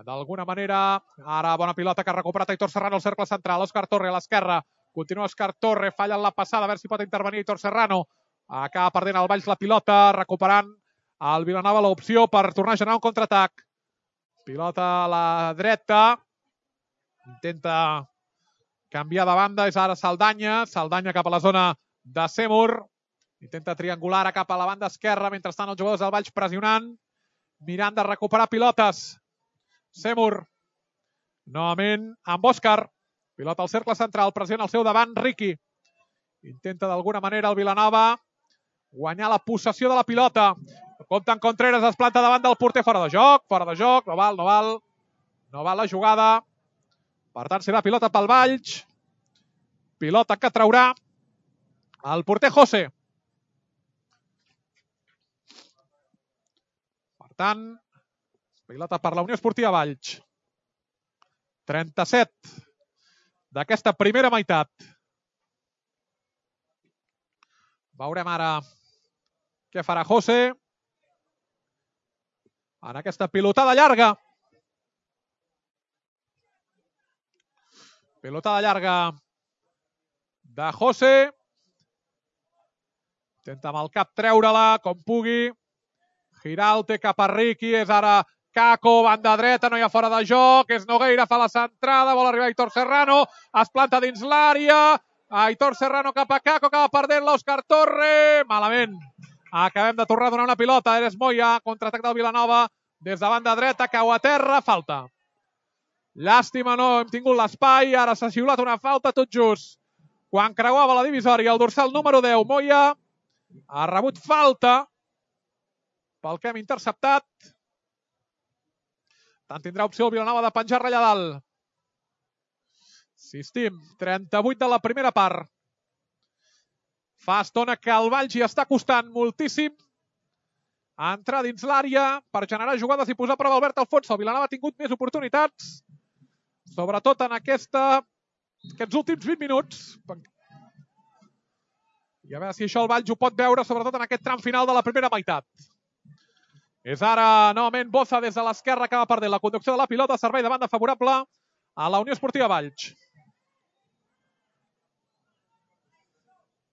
S1: D'alguna manera, ara bona pilota que ha recuperat Aitor Serrano al cercle central. Òscar Torre a l'esquerra. Continua Òscar Torre. Falla en la passada. A veure si pot intervenir Aitor Serrano. Acaba perdent el Valls la pilota. Recuperant el Vilanova l'opció per tornar a generar un contraatac. Pilota a la dreta. Intenta canviar de banda, és ara Saldanya. Saldanya cap a la zona de Seymour. Intenta triangular cap a la banda esquerra, mentrestant els jugadors del Valls pressionant, mirant de recuperar pilotes. Seymour, novament amb Òscar. Pilota al cercle central, pressiona al seu davant Riqui. Intenta d'alguna manera el Vilanova guanyar la possessió de la pilota. Compta en Contreras, es planta davant del porter, fora de joc, no val la jugada. Per tant, serà pilota pel Valls. Pilota que traurà el porter José. Per tant, pilota per la Unió Esportiva Valls. 37 d'aquesta primera meitat. Veurem ara què farà José en aquesta pilotada llarga. Pilotada llarga de José. Intenta amb el cap treure-la com pugui. Giralt cap a Riqui. És ara Caco, banda dreta, no hi ha fora de joc. És Nogueira, fa la centrada. Vol arribar Aitor Serrano. Es planta dins l'àrea. Aitor Serrano cap a Caco. Acaba perdent l'Òscar Torre. Malament. Acabem de tornar a donar una pilota. Eres Moya, contraatac del Vilanova. Des de banda dreta, cau a terra. Falta. Llàstima, no hem tingut l'espai. Ara s'ha xiulat una falta tot just quan creuava la divisòria. El dorsal número 10, Moya, ha rebut falta pel que hem interceptat. Tant tindrà opció el Vilanova de penjar-la allà dalt. Insistim, 38 de la primera part. Fa estona que el Valls hi està costant moltíssim a entrar dins l'àrea per generar jugades i posar a prova Albert Alfonso. El Vilanova ha tingut més oportunitats, sobretot en aquests últims 20 minuts. I a veure si això el Valls ho pot veure, sobretot en aquest tram final de la primera meitat. És ara, novament, Boza des de l'esquerra que va perdent la conducció de la pilota, servei de banda favorable a la Unió Esportiva Valls.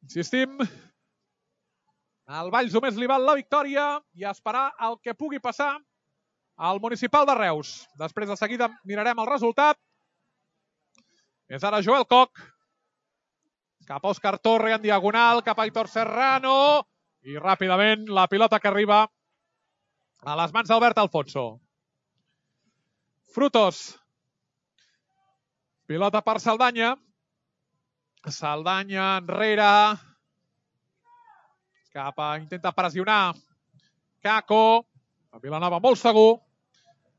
S1: Insistim, al Valls només li val la victòria i esperar el que pugui passar al Municipal de Reus. Després de seguida mirarem el resultat. És ara Joel Koch, cap a Òscar Torre en diagonal, cap a Aitor Serrano i ràpidament la pilota que arriba a les mans d'Albert Alfonso. Frutos. Pilota per Saldanya. Saldanya enrere. Intenta pressionar Kako. El Vilanova molt segur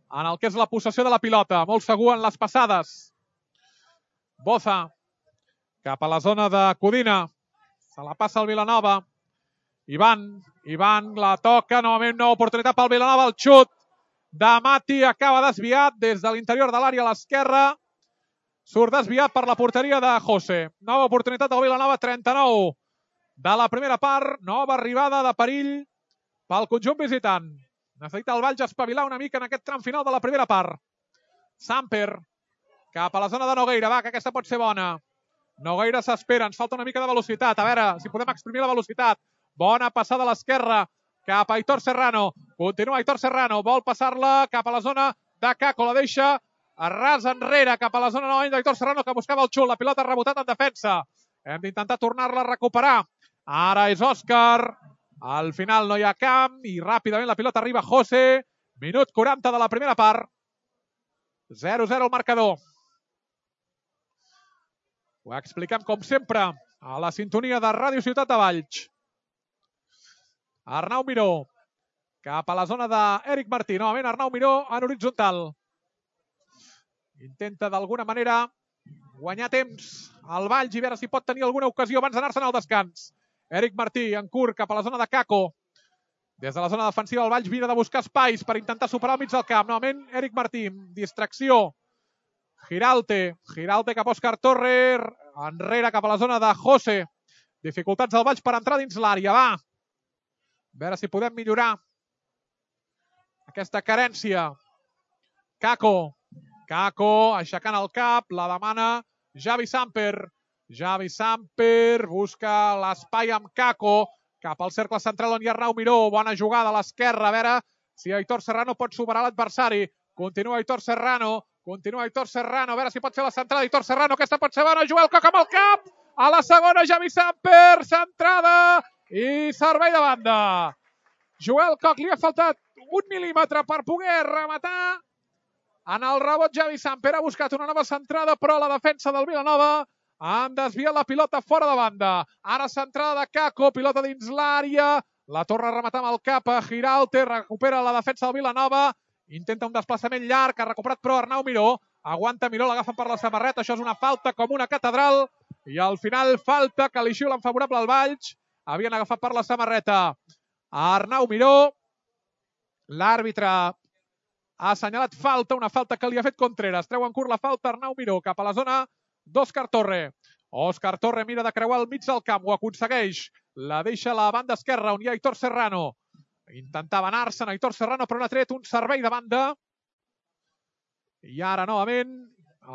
S1: en el que és la possessió de la pilota. Molt segur en les passades. Boza. Cap a la zona de Codina. Se la passa el Vilanova. Ivan la toca. Novament nova oportunitat pel Vilanova. El xut de Mati acaba desviat des de l'interior de l'àrea a l'esquerra. Surt desviat per la porteria de José. Nova oportunitat del Vilanova, 39 de la primera part. Nova arribada de perill pel conjunt visitant. Necessita el Valls espavilar una mica en aquest tram final de la primera part. Samper cap a la zona de Nogueira. Va, que aquesta pot ser bona. Nogueira s'espera, ens falta una mica de velocitat. A veure si podem exprimir la velocitat. Bona passada a l'esquerra cap a Aitor Serrano. Continua Aitor Serrano, vol passar-la cap a la zona de Kako. La deixa a ras enrere cap a la zona novament d'Aitor Serrano que buscava el xut. La pilota ha rebotat en defensa. Hem d'intentar tornar-la a recuperar. Ara és Òscar. Al final no hi ha camp i ràpidament la pilota arriba a José. Minut 40 de la primera part. 0-0 el marcador. Ho expliquem com sempre a la sintonia de Ràdio Ciutat de Valls. Arnau Miró cap a la zona d'Eric Martí. Novament Arnau Miró en horitzontal. Intenta d'alguna manera guanyar temps al Valls i veure si pot tenir alguna ocasió abans d'anar-se'n al descans. Eric Martí en curt cap a la zona de Kako. Des de la zona defensiva el Valls mira de buscar espais per intentar superar al mig del camp. Novament Eric Martí, distracció. Giralte cap a Òscar Torre, enrere cap a la zona de José. Dificultats del Valls per entrar dins l'àrea. Va, a veure si podem millorar aquesta carència. Kako aixecant el cap, la demana Javi Samper. Javi Samper busca l'espai amb Kako, cap al cercle central on hi ha Arnau Miró. Bona jugada a l'esquerra, a veure si Aitor Serrano pot superar l'adversari. Continua Aitor Serrano, a veure si pot fer la centrada. Aitor Serrano, aquesta pot ser bona. Joel Koch amb el cap, a la segona Javi Samper, centrada i servei de banda. Joel Koch li ha faltat 1 mil·límetre per poder rematar. En el rebot Javi Samper ha buscat una nova centrada, però la defensa del Vilanova han desviat la pilota fora de banda. Ara centrada de Kako, pilota dins l'àrea, la torna a rematar amb el cap a Giralte, recupera la defensa del Vilanova, intenta un desplaçament llarg, ha recuperat però Arnau Miró, aguanta Miró, l'agafen per la samarreta, això és una falta com una catedral, i al final falta que li xiulen favorable al Valls, havien agafat per la samarreta Arnau Miró, l'àrbitre ha assenyalat falta, una falta que li ha fet Contreras, treu en curt la falta Arnau Miró cap a la zona d'Òscar Torre. Òscar Torre mira de creuar al mig del camp, ho aconsegueix, la deixa a la banda esquerra on hi ha Aitor Serrano. Intentava anar-se'n Aitor Serrano, però n'ha tret un servei de banda. I ara, novament,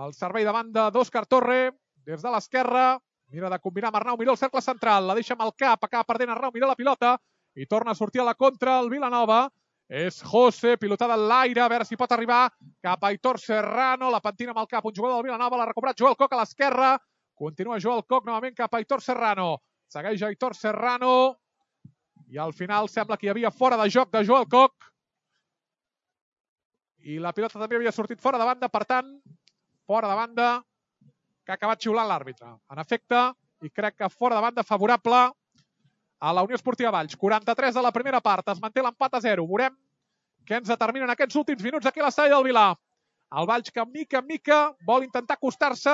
S1: el servei de banda d'Òscar Torre, des de l'esquerra, mira de combinar amb Arnau Miró el cercle central, la deixa amb el cap, acaba perdent Arnau Miró la pilota, i torna a sortir a la contra el Vilanova. És José, pilotada en l'aire, a veure si pot arribar cap a Aitor Serrano, la pentina amb el cap, un jugador del Vilanova, l'ha recuperat Joel Koch a l'esquerra, continua Joel Koch novament cap a Aitor Serrano, segueix Aitor Serrano, i al final sembla que hi havia fora de joc de Joel Koch, i la pilota també havia sortit fora de banda, per tant, fora de banda, que ha acabat xiulant l'àrbitre. En efecte, i crec que fora de banda favorable a la Unió Esportiva Valls. 43 de la primera part, es manté l'empat a 0. Veurem què ens determinen aquests últims minuts aquí a l'estadi del Vilà. El Valls que mica en mica vol intentar acostar-se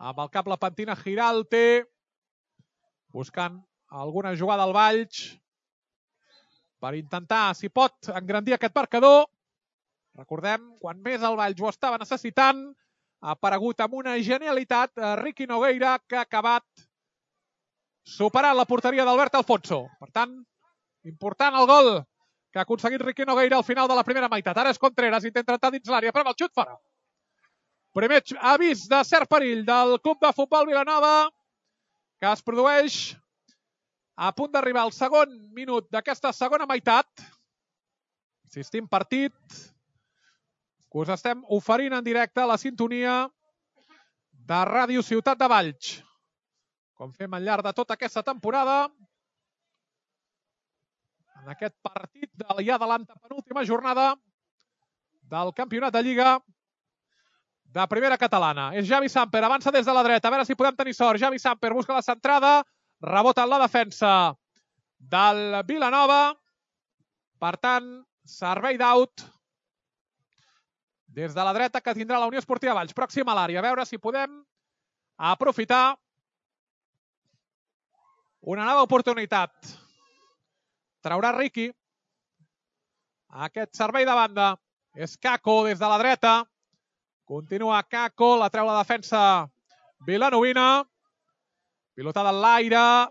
S1: Amb el cap la pentina Giralte, buscant alguna jugada al Valls per intentar, si pot, engrandir aquest marcador. Recordem, quan més el Valls ho estava necessitant, ha aparegut amb una genialitat Ricky Nogueira, que ha acabat superant la porteria d'Albert Alfonso. Per tant, important el gol que ha aconseguit Ricky Nogueira al final de la primera meitat. Ara és Contreras, intenta entrar dins l'àrea, però amb el xut fora. Primer avís de cert perill del Club de Futbol Vilanova, que es produeix a punt d'arribar al segon minut d'aquesta segona meitat. Insistim, partit que us estem oferint en directe a la sintonia de Ràdio Ciutat de Valls, com fem al llarg de tota aquesta temporada, en aquest partit ja de l'antepenúltima jornada del campionat de Lliga de primera catalana. És Javi Samper, avança des de la dreta, a veure si podem tenir sort. Javi Samper busca la centrada, rebota en la defensa del Vilanova. Per tant, servei d'out des de la dreta que tindrà la Unió Esportiva Valls. Pròxim a l'àrea, a veure si podem aprofitar una nova oportunitat. Traurà Ricky. Aquest servei de banda és Kako des de la dreta. Continua Kako, la treu la defensa vilanovina. Pilotada en l'aire.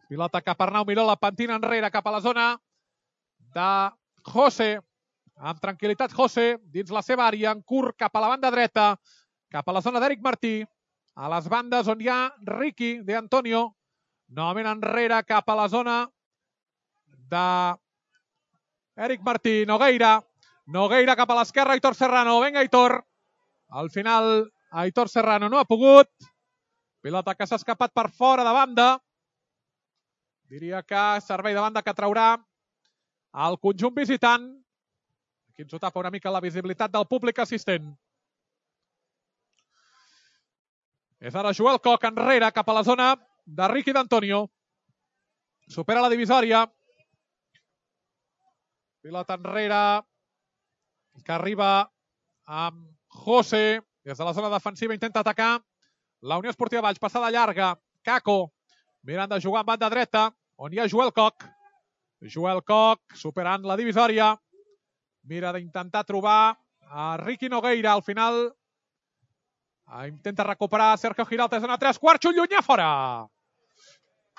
S1: Pilota cap a Arnau Miró, la pentina enrere cap a la zona de José. Amb tranquil·litat José, dins la seva àrea, en curt cap a la banda dreta, cap a la zona d'Eric Martí. A les bandes on hi ha Ricky de Antonio. Novament enrere cap a la zona d'Eric Martí. Nogueira cap a l'esquerra, Aitor Serrano. Vinga, Aitor. Al final, Aitor Serrano no ha pogut. Pilota que s'ha escapat per fora de banda. Diria que servei de banda que traurà el conjunt visitant. Aquí ens ho tapa una mica la visibilitat del públic assistent. És ara Joel Koch enrere cap a la zona de Ricky d'Antonio. Supera la divisòria. Pilota enrere que arriba amb José. Des de la zona defensiva intenta atacar la Unió Esportiva Valls. Passada llarga. Kako mirant de jugar en banda dreta, on hi ha Joel Koch. Joel Koch superant la divisòria. Mira d'intentar trobar a Ricky Nogueira. Al final intenta recuperar Sergio Giralt. Zona 3/4, xut llunyà fora.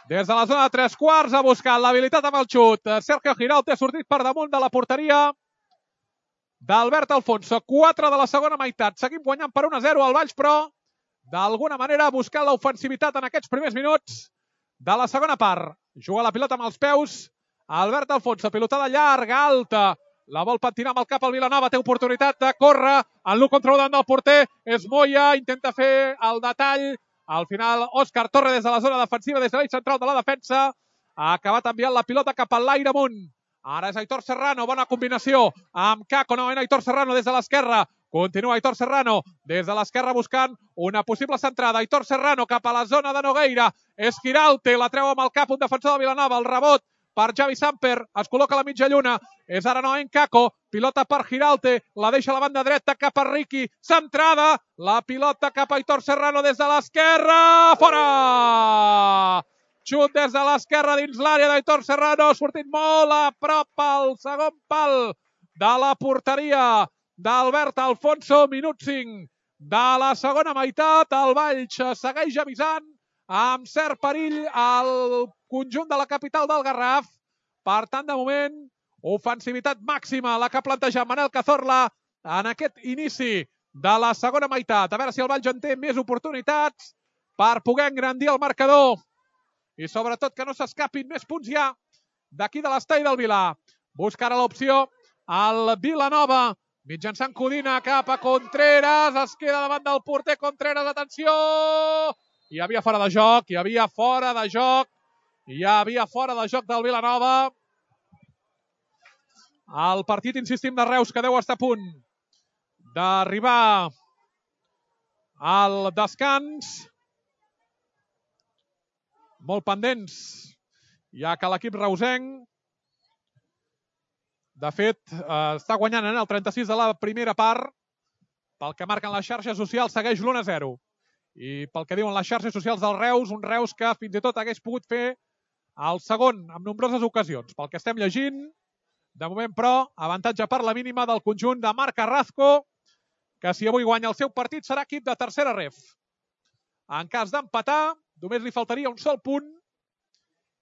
S1: Des de la zona de 3/4 ha buscat l'habilitat amb el xut. Sergio Giralt ha sortit per damunt de la porteria d'Albert Alfonso. 4 de la segona meitat. Seguim guanyant per 1-0 al Valls, però d'alguna manera buscant l'ofensivitat en aquests primers minuts de la segona part. Juga la pilota amb els peus Albert Alfonso. Pilotada llarga, alta. La vol patinar amb el cap al Vilanova. Té oportunitat de córrer. En l'1 contra 1 davant del porter és Moya. Intenta fer el detall. Al final, Òscar Torre des de la zona defensiva, des de l'eix central de la defensa. Ha acabat enviant la pilota cap a l'aire amunt. Ara és Aitor Serrano. Bona combinació amb Kako. Novament Aitor Serrano des de l'esquerra. Continua Aitor Serrano des de l'esquerra buscant una possible centrada. Aitor Serrano cap a la zona de Nogueira. És Giralte. La treu amb el cap un defensor de Vilanova. El rebot per Javi Samper, es col·loca a la mitja lluna, és ara no en Kako, pilota per Giralte, la deixa a la banda dreta cap a Ricky, centrada, la pilota cap a Aitor Serrano des de l'esquerra, fora! Xut des de l'esquerra dins l'àrea d'Aitor Serrano, ha sortit molt a prop al segon pal de la porteria d'Albert Alfonso, minut 5 de la segona meitat, el Valls segueix avisant amb cert perill al conjunt de la capital del Garraf. Per tant, de moment, ofensivitat màxima la que ha plantejat Manel Cazorla en aquest inici de la segona meitat. A veure si el Valls en té més oportunitats per poder engrandir el marcador i sobretot que no s'escapin més punts ja d'aquí de l'estadi del Vilà. Busca ara l'opció al Vilanova, mitjançant Codina cap a Contreras, es queda davant del porter Contreras, atenció! Hi havia fora de joc, hi havia fora de joc del Vilanova. El partit, insistim, de Reus, que deu estar a punt d'arribar al descans. Molt pendents, ja que l'equip reusenc, de fet, està guanyant en el 36 de la primera part. Pel que marquen les xarxes socials, segueix l'1-0. I pel que diuen les xarxes socials del Reus, un Reus que fins i tot hagués pogut fer el segon en nombroses ocasions. Pel que estem llegint, de moment, però, avantatge per la mínima del conjunt de Marc Carrasco, que si avui guanya el seu partit serà equip de tercera ref. En cas d'empatar, només li faltaria un sol punt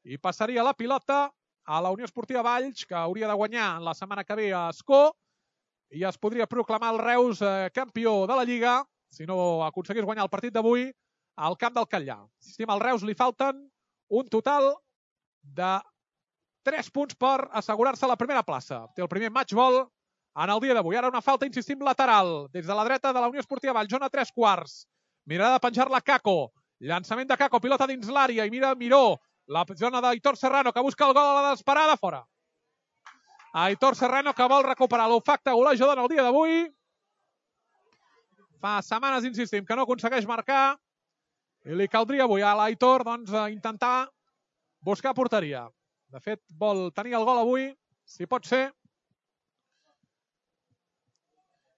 S1: i passaria la pilota a la Unió Esportiva Valls, que hauria de guanyar la setmana que ve a Escó, i es podria proclamar el Reus campió de la Lliga, si no aconseguís guanyar el partit d'avui, al camp del Catllà. Insistim, al Reus li falten un total de 3 punts per assegurar-se la primera plaça. Té el primer matchball en el dia d'avui. Ara una falta, insistim, lateral, des de la dreta de la Unió Esportiva Valls, zona 3/4. Mirada de penjar-la Caco. Llançament de Caco, pilota dins l'àrea i mira Miró. La zona d'Aitor Serrano, que busca el gol a la desesperada, fora. Aitor Serrano, que vol recuperar l'olfacte golejador en el dia d'avui. Fa setmanes, insistim, que no aconsegueix marcar i li caldria avui a l'Aitor intentar buscar porteria. De fet, vol tenir el gol avui, si pot ser,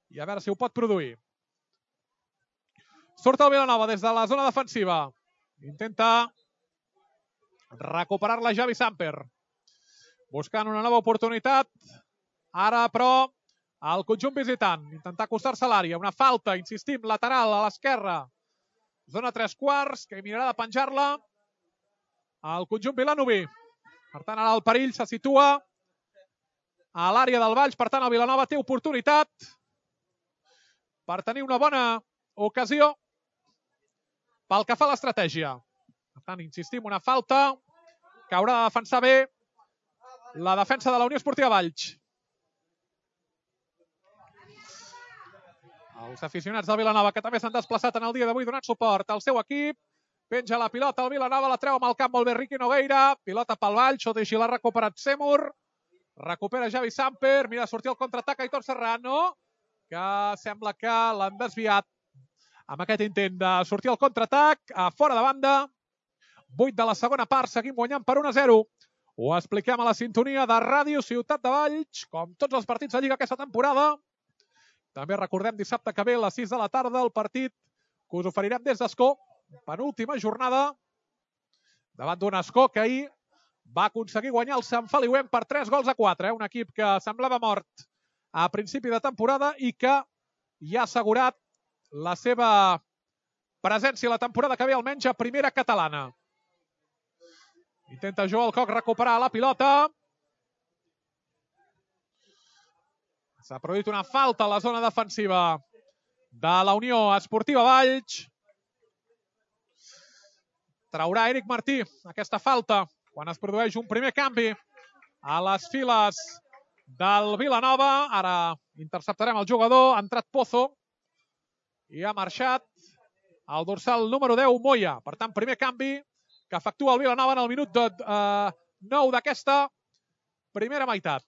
S1: i a veure si ho pot produir. Surt el Vilanova des de la zona defensiva. Intenta recuperar-la Javi Samper. Buscant una nova oportunitat. Ara, però, el conjunt visitant. Intentar acostar-se a l'àrea. Una falta, insistim, lateral a l'esquerra. Zona 3/4, que mirarà de penjar-la al conjunt vilanoví. Per tant, ara el perill se situa a l'àrea del Valls. Per tant, el Vilanova té oportunitat per tenir una bona ocasió pel que fa a l'estratègia. Per tant, insistim, una falta que haurà de defensar bé la defensa de la Unió Esportiva Valls. Els aficionats del Vilanova, que també s'han desplaçat en el dia d'avui donant suport al seu equip. Penja la pilota, el Vilanova la treu amb el camp molt bé Riqui Nogueira. Pilota pel Valls, tot i així l'ha recuperat Seymour. Recupera Javi Samper, mira sortir el contraatac a Aitor Serrano, que sembla que l'han desviat amb aquest intent de sortir al contraatac a fora de banda. 8 de la segona part, seguim guanyant per 1-0. Ho expliquem a la sintonia de Ràdio Ciutat de Valls, com tots els partits de Lliga aquesta temporada. També recordem dissabte que ve a les 6 de la tarda el partit que us oferirem des d'Escó, penúltima jornada, davant d'un Escó que ahir va aconseguir guanyar el Sant Feliuenc per 3-4. Un equip que semblava mort a principi de temporada i que ja ha assegurat la seva presència la temporada que ve, almenys a primera catalana. Intenta Joel Coc recuperar la pilota. S'ha produït una falta a la zona defensiva de la Unió Esportiva Valls. Traurà Eric Martí aquesta falta quan es produeix un primer canvi a les files del Vilanova. Ara interceptarem el jugador. Ha entrat Pozo i ha marxat el dorsal número 10, Moya. Per tant, primer canvi que efectua el Vilanova en el minut 9 d'aquesta primera meitat.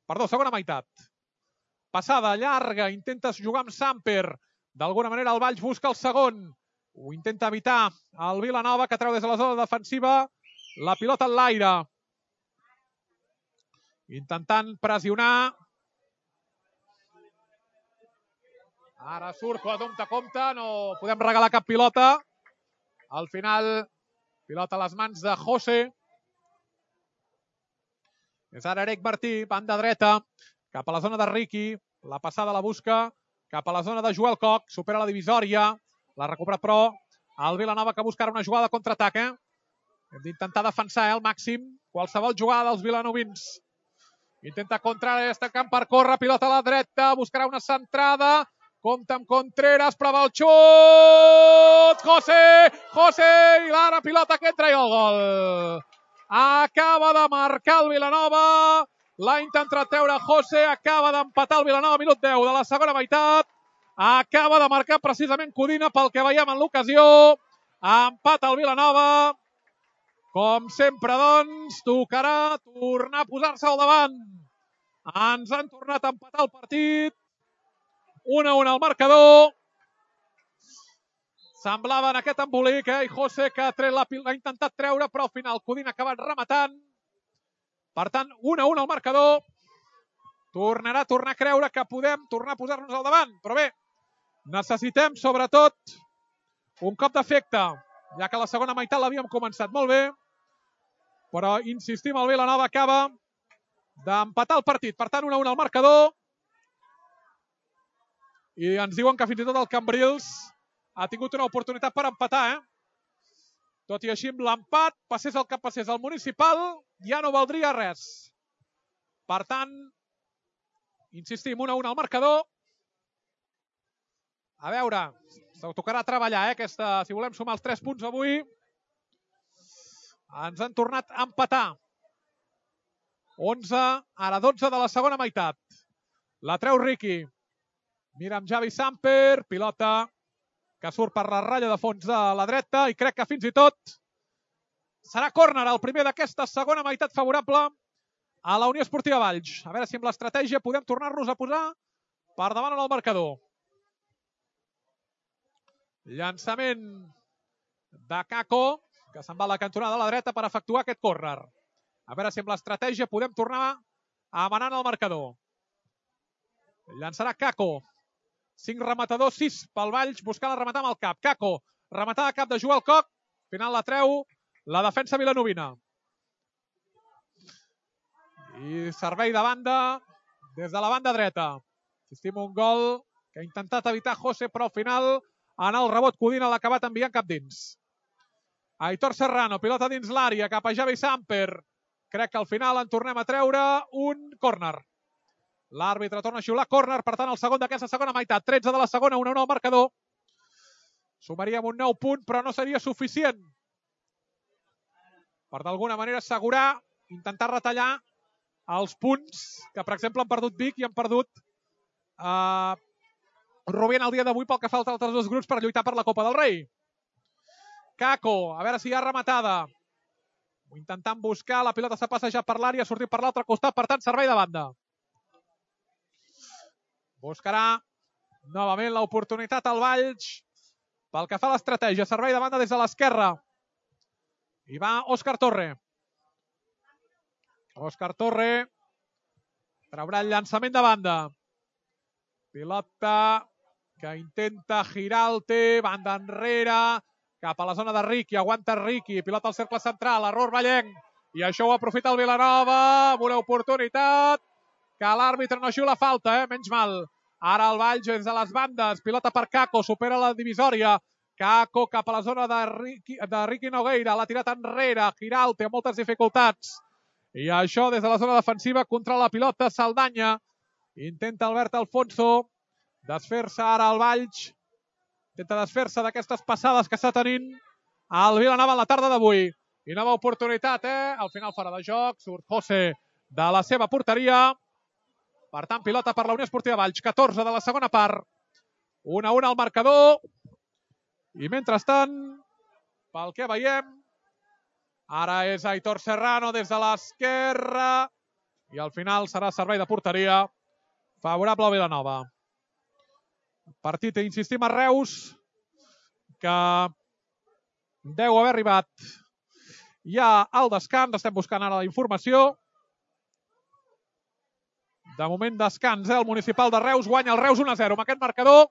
S1: Perdó, segona meitat. Passada llarga, intenta jugar amb Samper. D'alguna manera el Valls busca el segon. Ho intenta evitar el Vilanova, que treu des de la zona defensiva la pilota en l'aire. Intentant pressionar. Ara surt compte, no podem regalar cap pilota. Al final, pilota a les mans de José. És ara Eric Martí, banda dreta, cap a la zona de Riqui. La passada la busca cap a la zona de Joel Coc. Supera la divisòria. L'ha recuperat, però, el Vilanova, que buscarà una jugada de contraatac. Hem d'intentar defensar al màxim qualsevol jugada dels vilanovins. Intenta Contreras, està en camp per córrer. Pilota a la dreta. Buscarà una centrada. Compta amb Contreras, prova el xut! José! I l'ara pilota que entra i el gol. Acaba de marcar el Vilanova. L'ha intentat treure José. Acaba d'empatar el Vilanova, minut 10 de la segona meitat. Acaba de marcar precisament Codina pel que veiem en l'ocasió. Empata el Vilanova. Com sempre, doncs, tocarà tornar a posar-se al davant. Ens han tornat a empatar el partit. 1-1 al marcador. Semblava en aquest embolic, i José, que l'ha intentat treure, però al final Codina ha acabat rematant. Per tant, 1-1 al marcador. Tornarà a tornar a creure que podem tornar a posar-nos al davant. Però bé, necessitem, sobretot, un cop d'efecte, ja que la segona meitat l'havíem començat molt bé, però insistim, el Vilanova acaba d'empatar el partit. Per tant, 1-1 al marcador. I ens diuen que fins i tot el Cambrils ha tingut una oportunitat per empatar, Tot i així, amb l'empat, passés el que passés al Municipal, ja no valdria res. Per tant, insistim, 1-1 al marcador. A veure, s'ho tocarà treballar, aquesta, si volem sumar els 3 punts avui. Ens han tornat a empatar. 11, ara 12 de la segona meitat. La treu Riqui. Mira amb Javi Samper, pilota que surt per la ratlla de fons de la dreta i crec que fins i tot serà córner el primer d'aquesta segona meitat favorable a la Unió Esportiva Valls. A veure si amb l'estratègia podem tornar-nos a posar per davant en el marcador. Llançament de Kako, que se'n va a la cantonada de la dreta per efectuar aquest córner. A veure si amb l'estratègia podem tornar a manar en el marcador. Llançarà Kako. 5 rematadors, 6 pel Valls, buscant rematar amb el cap. Kako, rematada a cap de Joel Coc. Final la treu la defensa vilanovina. I servei de banda des de la banda dreta. Assistim un gol que ha intentat evitar José, però al final en el rebot Codina l'ha acabat enviant cap dins. Aitor Serrano, pilota dins l'àrea, cap a Javi Samper. Crec que al final en tornem a treure un córner. L'àrbitre torna a xiular córner, per tant el segon d'aquesta segona meitat. 13 de la segona, 1-1 al marcador. Sumaríem un 9 punt, però no seria suficient per d'alguna manera assegurar, intentar retallar els punts que, per exemple, han perdut Vic i han perdut Rubén el dia d'avui pel que fa als altres dos grups per lluitar per la Copa del Rei. Kako, a veure si hi ha rematada. Intentant buscar, la pilota s'ha passejat per l'àrea, ha sortit per l'altre costat, per tant, servei de banda. Buscarà novament l'oportunitat al Valls pel que fa a l'estratègia. Servei de banda des de l'esquerra. I va Òscar Torre. Òscar Torre traurà el llançament de banda. Pilota que intenta Giralte, banda enrere, cap a la zona de Riqui, aguanta Riqui, pilota al cercle central, error Vallenc, i això ho aprofita el Vilanova, amb una oportunitat que l'àrbitre no xiula falta, menys mal. Ara el Valls des de les bandes, pilota per Kako, supera la divisòria, Kako cap a la zona de Riqui Nogueira, l'ha tirat enrere, Giralte amb moltes dificultats, i això des de la zona defensiva contra la pilota Saldanya, intenta Albert Alfonso desfer-se ara al Valls, intenta desfer-se d'aquestes passades que està tenint el Vilanova en la tarda d'avui. I nova oportunitat, al final fora de joc, surt José de la seva porteria. Per tant, pilota per la Unió Esportiva Valls, 14 de la segona part. 1-1 al marcador. I mentrestant, pel que veiem, ara és Aitor Serrano des de l'esquerra i al final serà servei de porteria favorable a Vilanova. Partit, insistim, a Reus, que deu haver arribat ja al descans. Estem buscant ara la informació. De moment descans, el Municipal de Reus guanya el Reus 1-0 amb aquest marcador,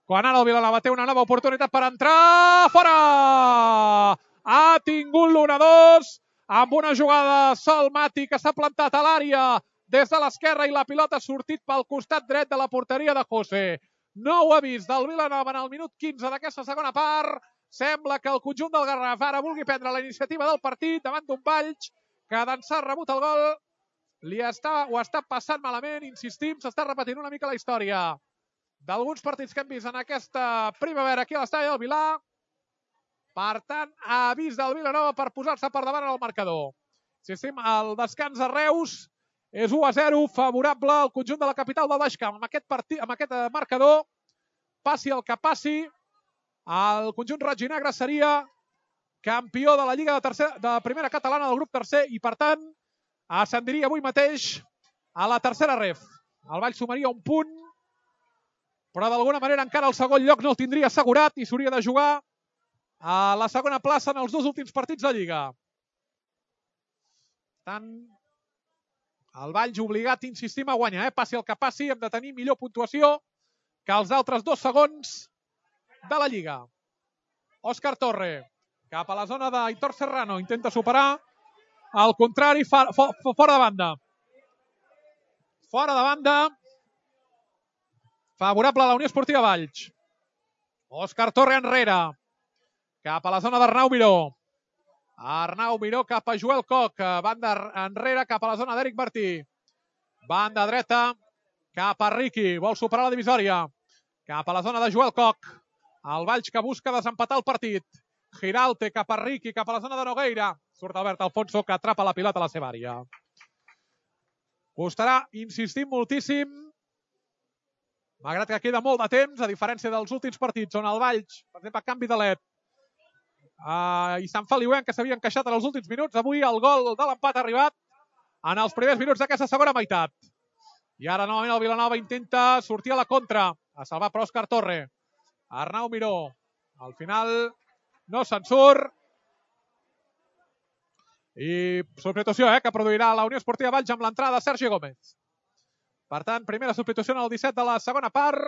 S1: quan ara el Vilanova té una nova oportunitat per entrar. Fora! Ha tingut l'1-2 amb una jugada de Sol Mati que s'ha plantat a l'àrea des de l'esquerra i la pilota ha sortit pel costat dret de la porteria de José. Nou avís del Vilanova en el minut 15 d'aquesta segona part. Sembla que el conjunt del Garraf ara vulgui prendre la iniciativa del partit davant d'un Valls que d'ençà ha rebut el gol. Ho està passant malament, insistim, s'està repetint una mica la història d'alguns partits que hem vist en aquesta primavera aquí a l'estadi del Vilà. Per tant, avís del Vilanova per posar-se per davant en el marcador. Insistim, el descans a Reus és 1-0 favorable al conjunt de la capital del Baix Camp. Amb aquest marcador, passi el que passi, el conjunt roig i negre seria campió de la Lliga de primera catalana del grup tercer i, per tant, ascendiria avui mateix a la tercera ref. El Valls sumaria un punt, però d'alguna manera encara el segon lloc no el tindria assegurat i s'hauria de jugar a la segona plaça en els dos últims partits de Lliga. Per tant, el Valls obligat, insistim, a guanyar. Passi el que passi, hem de tenir millor puntuació que els altres dos segons de la Lliga. Òscar Torre. Cap a la zona d'Aitor Serrano. Intenta superar. Al contrari, fora de banda. Fora de banda. Favorable a la Unió Esportiva Valls. Òscar Torre enrere. Cap a la zona d'Arnau Miró. Arnau Miró cap a Joel Coc. Banda enrere cap a la zona d'Eric Martí. Banda dreta cap a Riqui. Vol superar la divisòria. Cap a la zona de Joel Coc. El Valls que busca desempatar el partit. Giralte cap a Riqui, cap a la zona de Nogueira. Surt Albert Alfonso que atrapa la pilota a la seva àrea. Costarà, insistim moltíssim, malgrat que queda molt de temps, a diferència dels últims partits on el Valls, per exemple, canvi de led, i Sant Feliuenc, que s'havia encaixat en els últims minuts. Avui el gol de l'empat ha arribat en els primers minuts d'aquesta segona meitat. I ara novament el Vilanova intenta sortir a la contra. A salvar per Òscar Torre. Arnau Miró. Al final no se'n surt. I substitució que produirà la Unió Esportiva Valls amb l'entrada de Sergi Gómez. Per tant, primera substitució en el 17 de la segona part.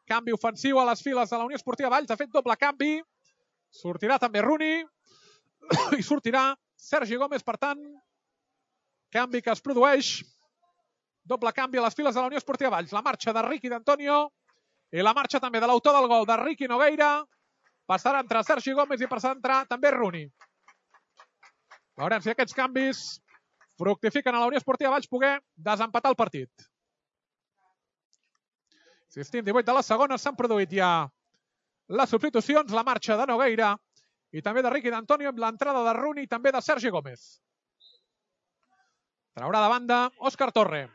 S1: Canvi ofensiu a les files de la Unió Esportiva Valls. Ha fet doble canvi. Sortirà també Runi. I sortirà Sergi Gómez, per tant, canvi que es produeix. Doble canvi a les files de la Unió Esportiva Valls. La marxa de Riqui d'Antonio i la marxa també de l'autor del gol de Riqui Nogueira. Passarà a entrar Sergi Gómez i passarà a entrar també Runi. Veurem si aquests canvis fructifiquen a la Unió Esportiva Valls poder desempatar el partit. Insistim, 18 de la segona, s'han produït ja les substitucions, la marxa de Nogueira i també de Riqui d'Antonio amb l'entrada de Runi i també de Sergi Gómez. Traurà de banda Òscar Torre.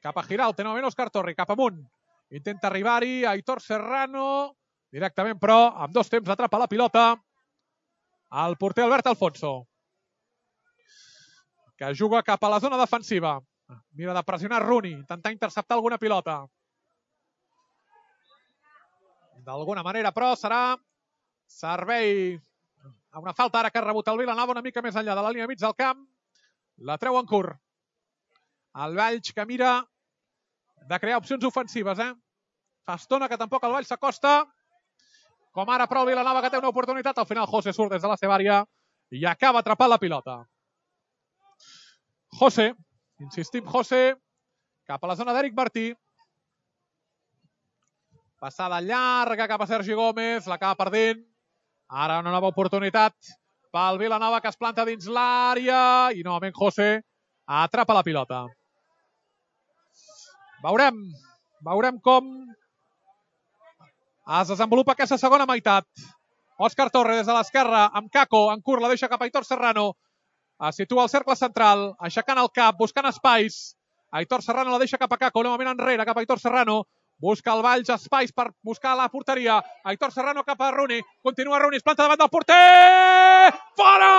S1: Cap a Giralte, novament Òscar Torre, cap amunt. Intenta arribar-hi Aitor Serrano, directament però, amb dos temps atrapa la pilota el porter Albert Alfonso, que juga cap a la zona defensiva. Mira de pressionar Runi, intentar interceptar alguna pilota. D'alguna manera, però, serà servei a una falta ara que ha rebut el Vilanova una mica més enllà de la línia mig del camp. La treu en curt. El Valls que mira de crear opcions ofensives. Fa estona que tampoc el Valls s'acosta. Com ara, però, el Vilanova que té una oportunitat. Al final, José surt des de la seva àrea i acaba atrapant la pilota. José, insistim, José, cap a la zona d'Eric Martí. Passada llarga cap a Sergi Gómez, l'acaba perdent. Ara una nova oportunitat pel Vilanova que es planta dins l'àrea i novament José atrapa la pilota. Veurem com es desenvolupa aquesta segona meitat. Òscar Torre des de l'esquerra amb Caco, en curt, la deixa cap a Aitor Serrano. Es situa al cercle central, aixecant el cap, buscant espais. Aitor Serrano la deixa cap a Caco, novament enrere cap a Aitor Serrano. Busca el Valls espais per buscar la porteria. Aitor Serrano cap a Runi. Continua Runi, es planta davant del porter! Fora!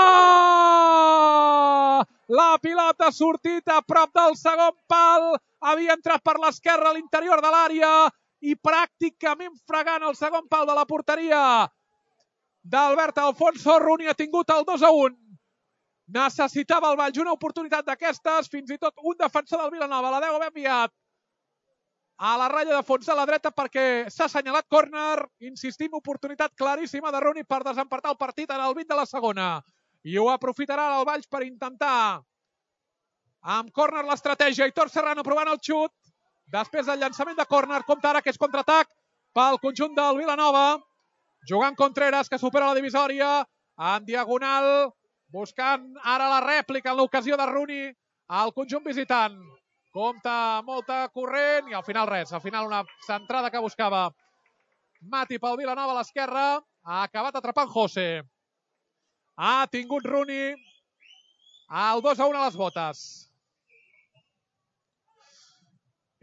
S1: La pilota ha sortit a prop del segon pal. Havia entrat per l'esquerra a l'interior de l'àrea i pràcticament fregant el segon pal de la porteria d'Albert Alfonso. Runi ha tingut el 2-1. Necessitava el Valls una oportunitat d'aquestes. Fins i tot un defensor del Vilanova la deu haver enviat a la ratlla de fons de la dreta perquè s'ha assenyalat córner. Insistim, oportunitat claríssima de Runi per desempatar el partit en el 20 de la segona. I ho aprofitarà el Valls per intentar amb córner l'estratègia. Aitor Serrano provant el xut. Després del llançament de córner, compta ara que és contraatac pel conjunt del Vilanova. Jugant Contreras, que supera la divisòria en diagonal, buscant ara la rèplica en l'ocasió de Runi al conjunt visitant. Compta molta corrent i al final res. Al final una centrada que buscava Mati pel Vilanova a l'esquerra. Ha acabat atrapant José. Ha tingut Runi el 2-1 a les botes.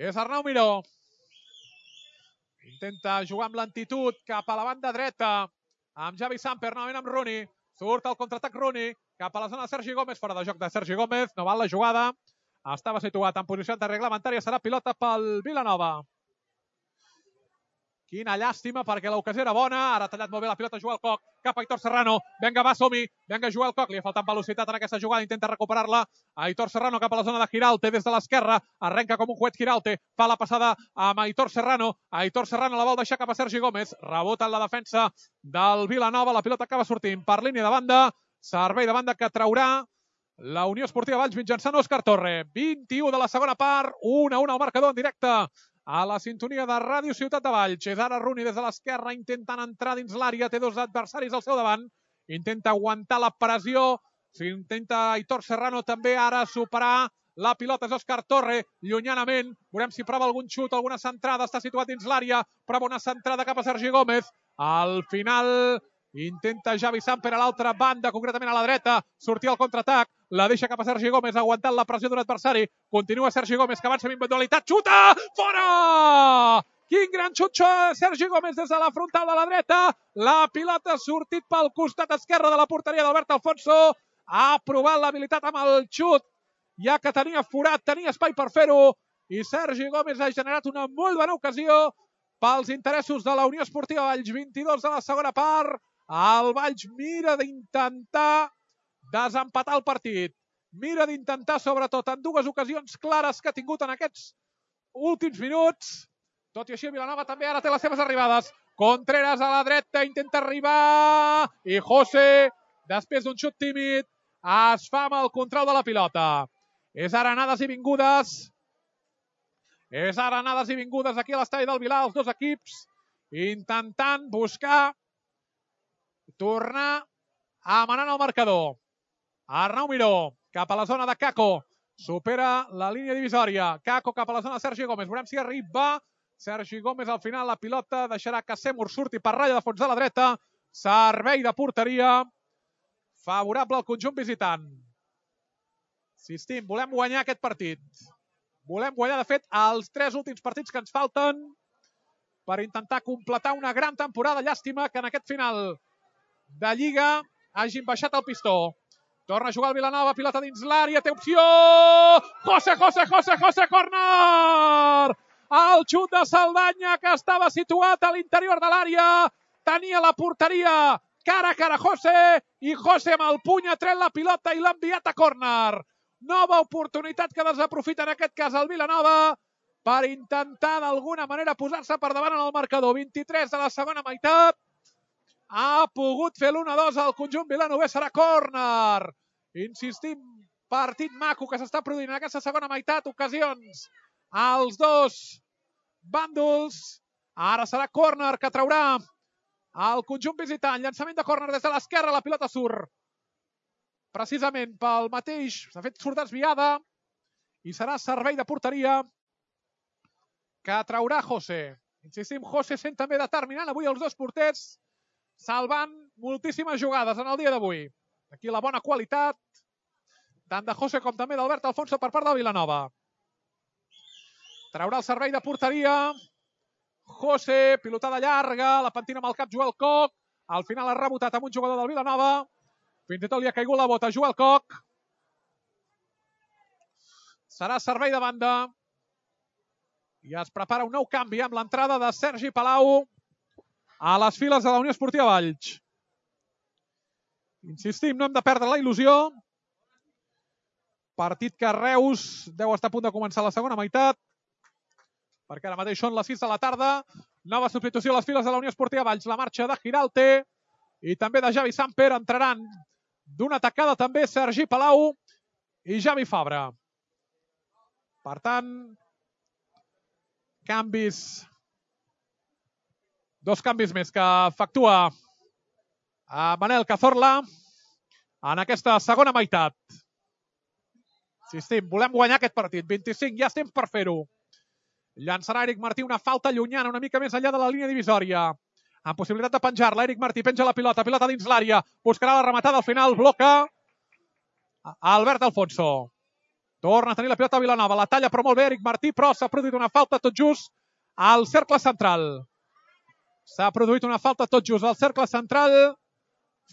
S1: És Arnau Miró. Intenta jugar amb lentitud cap a la banda dreta amb Javi Samper, novament amb Runi. Surt el contraatac Runi cap a la zona de Sergi Gómez. Fora de joc de Sergi Gómez. No val la jugada. Estava situat en posició antirreglamentària. Serà pilota pel Vilanova. Quina llàstima, perquè l'ocasió era bona. Ara ha tallat molt bé la pilota Joel Coc, cap a Aitor Serrano. Vinga, va, som-hi. Vinga, Joel Coc. Li ha faltat velocitat en aquesta jugada. Intenta recuperar-la. Aitor Serrano cap a la zona de Giralte des de l'esquerra. Arrenca com un coet Giralte. Fa la passada amb Aitor Serrano. Aitor Serrano la vol deixar cap a Sergi Gómez. Rebota en la defensa del Vilanova. La pilota acaba sortint per línia de banda. Servei de banda que traurà la Unió Esportiva Valls mitjançant Òscar Torre. 21 de la segona part. 1-1 al marcador en directe a la sintonia de Ràdio Ciutat de Valls. És ara Rooney des de l'esquerra intentant entrar dins l'àrea. Té dos adversaris al seu davant. Intenta aguantar la pressió. Intenta Aitor Serrano també ara superar. La pilota és Òscar Torre, llunyanament. Veurem si prova algun xut, alguna centrada. Està situat dins l'àrea. Prova una centrada cap a Sergi Gómez. Al final intenta Javi Samper a l'altra banda, concretament a la dreta. Sortir al contraatac. La deixa cap a Sergi Gómez, aguantant la pressió d'un adversari. Continua Sergi Gómez, que avança amb individualitat. Xuta! Fora! Quin gran xut Sergi Gómez des de la frontal de la dreta. La pilota ha sortit pel costat esquerre de la porteria d'Albert Alfonso. Ha provat l'habilitat amb el xut, ja que tenia forat, tenia espai per fer-ho. I Sergi Gómez ha generat una molt bona ocasió pels interessos de la Unió Esportiva Valls. 22 de la segona part. El Valls mira d'intentar desempatar el partit. Mira d'intentar, sobretot, en dues ocasions clares que ha tingut en aquests últims minuts. Tot i així, el Vilanova també ara té les seves arribades. Contreras a la dreta, intenta arribar. I José, després d'un xut tímid, es fa amb el control de la pilota. És ara anades i vingudes. És ara anades i vingudes aquí a l'estadi del Vilar, els dos equips, intentant buscar tornar a manar el marcador. Arnau Miró, cap a la zona de Caco. Supera la línia divisòria. Caco cap a la zona de Sergi Gómez. Veurem si arriba. Sergi Gómez al final la pilota deixarà que Seymour surti per ratlla de fons de la dreta. Servei de porteria favorable al conjunt visitant. Insistim, volem guanyar aquest partit. Volem guanyar, de fet, els 3 últims partits que ens falten per intentar completar una gran temporada. Llàstima que en aquest final de Lliga hagin baixat el pistó. Torna a jugar el Vilanova, pilota dins l'àrea, té opció! José, córner! El xut de Saldanya, que estava situat a l'interior de l'àrea, tenia la porteria cara a cara José, i José amb el puny ha tret la pilota i l'ha enviat a córner. Nova oportunitat que desaprofita en aquest cas el Vilanova per intentar d'alguna manera posar-se per davant en el marcador. 23 de la segona meitat. Ha pogut fer l'1-2 al conjunt vilanovès, serà córner. Insistim, partit maco que s'està produint en aquesta segona meitat, ocasions als dos bàndols. Ara serà córner que traurà el conjunt visitant. Llançament de córner des de l'esquerra, la pilota surt precisament pel mateix, s'ha fet surt desviada i serà servei de porteria que traurà José. Insistim, José sent també determinant avui els dos porters, salvant moltíssimes jugades en el dia d'avui. Aquí la bona qualitat, tant de José com també d'Albert Alfonso per part del Vilanova. Traurà el servei de porteria. José, pilotada llarga, la pentina amb el cap Joel Coc. Al final ha rebotat amb un jugador del Vilanova. Fins i tot li ha caigut la bota a Joel Coc. Serà servei de banda. I es prepara un nou canvi amb l'entrada de Sergi Palau a les files de la Unió Esportiva Valls. Insistim, no hem de perdre la il·lusió. Partit que Reus deu estar a punt de començar la segona meitat, perquè ara mateix són les 6 de la tarda. Nova substitució a les files de la Unió Esportiva Valls. La marxa de Giralte i també de Javi Samper. Entraran d'una tacada també Sergi Palau i Javi Fabra. Per tant, canvis. Dos canvis més que efectua Manel Cazorla en aquesta segona meitat. Insistim, volem guanyar aquest partit. 25, ja estem per fer-ho. Llançarà Eric Martí una falta llunyana, una mica més enllà de la línia divisòria. Amb possibilitat de penjar-la, Eric Martí penja la pilota dins l'àrea. Buscarà la rematada, al final bloca Albert Alfonso. Torna a tenir la pilota a Vilanova, la talla però molt bé Eric Martí, però s'ha produït una falta tot just al cercle central. S'ha produït una falta tot just al cercle central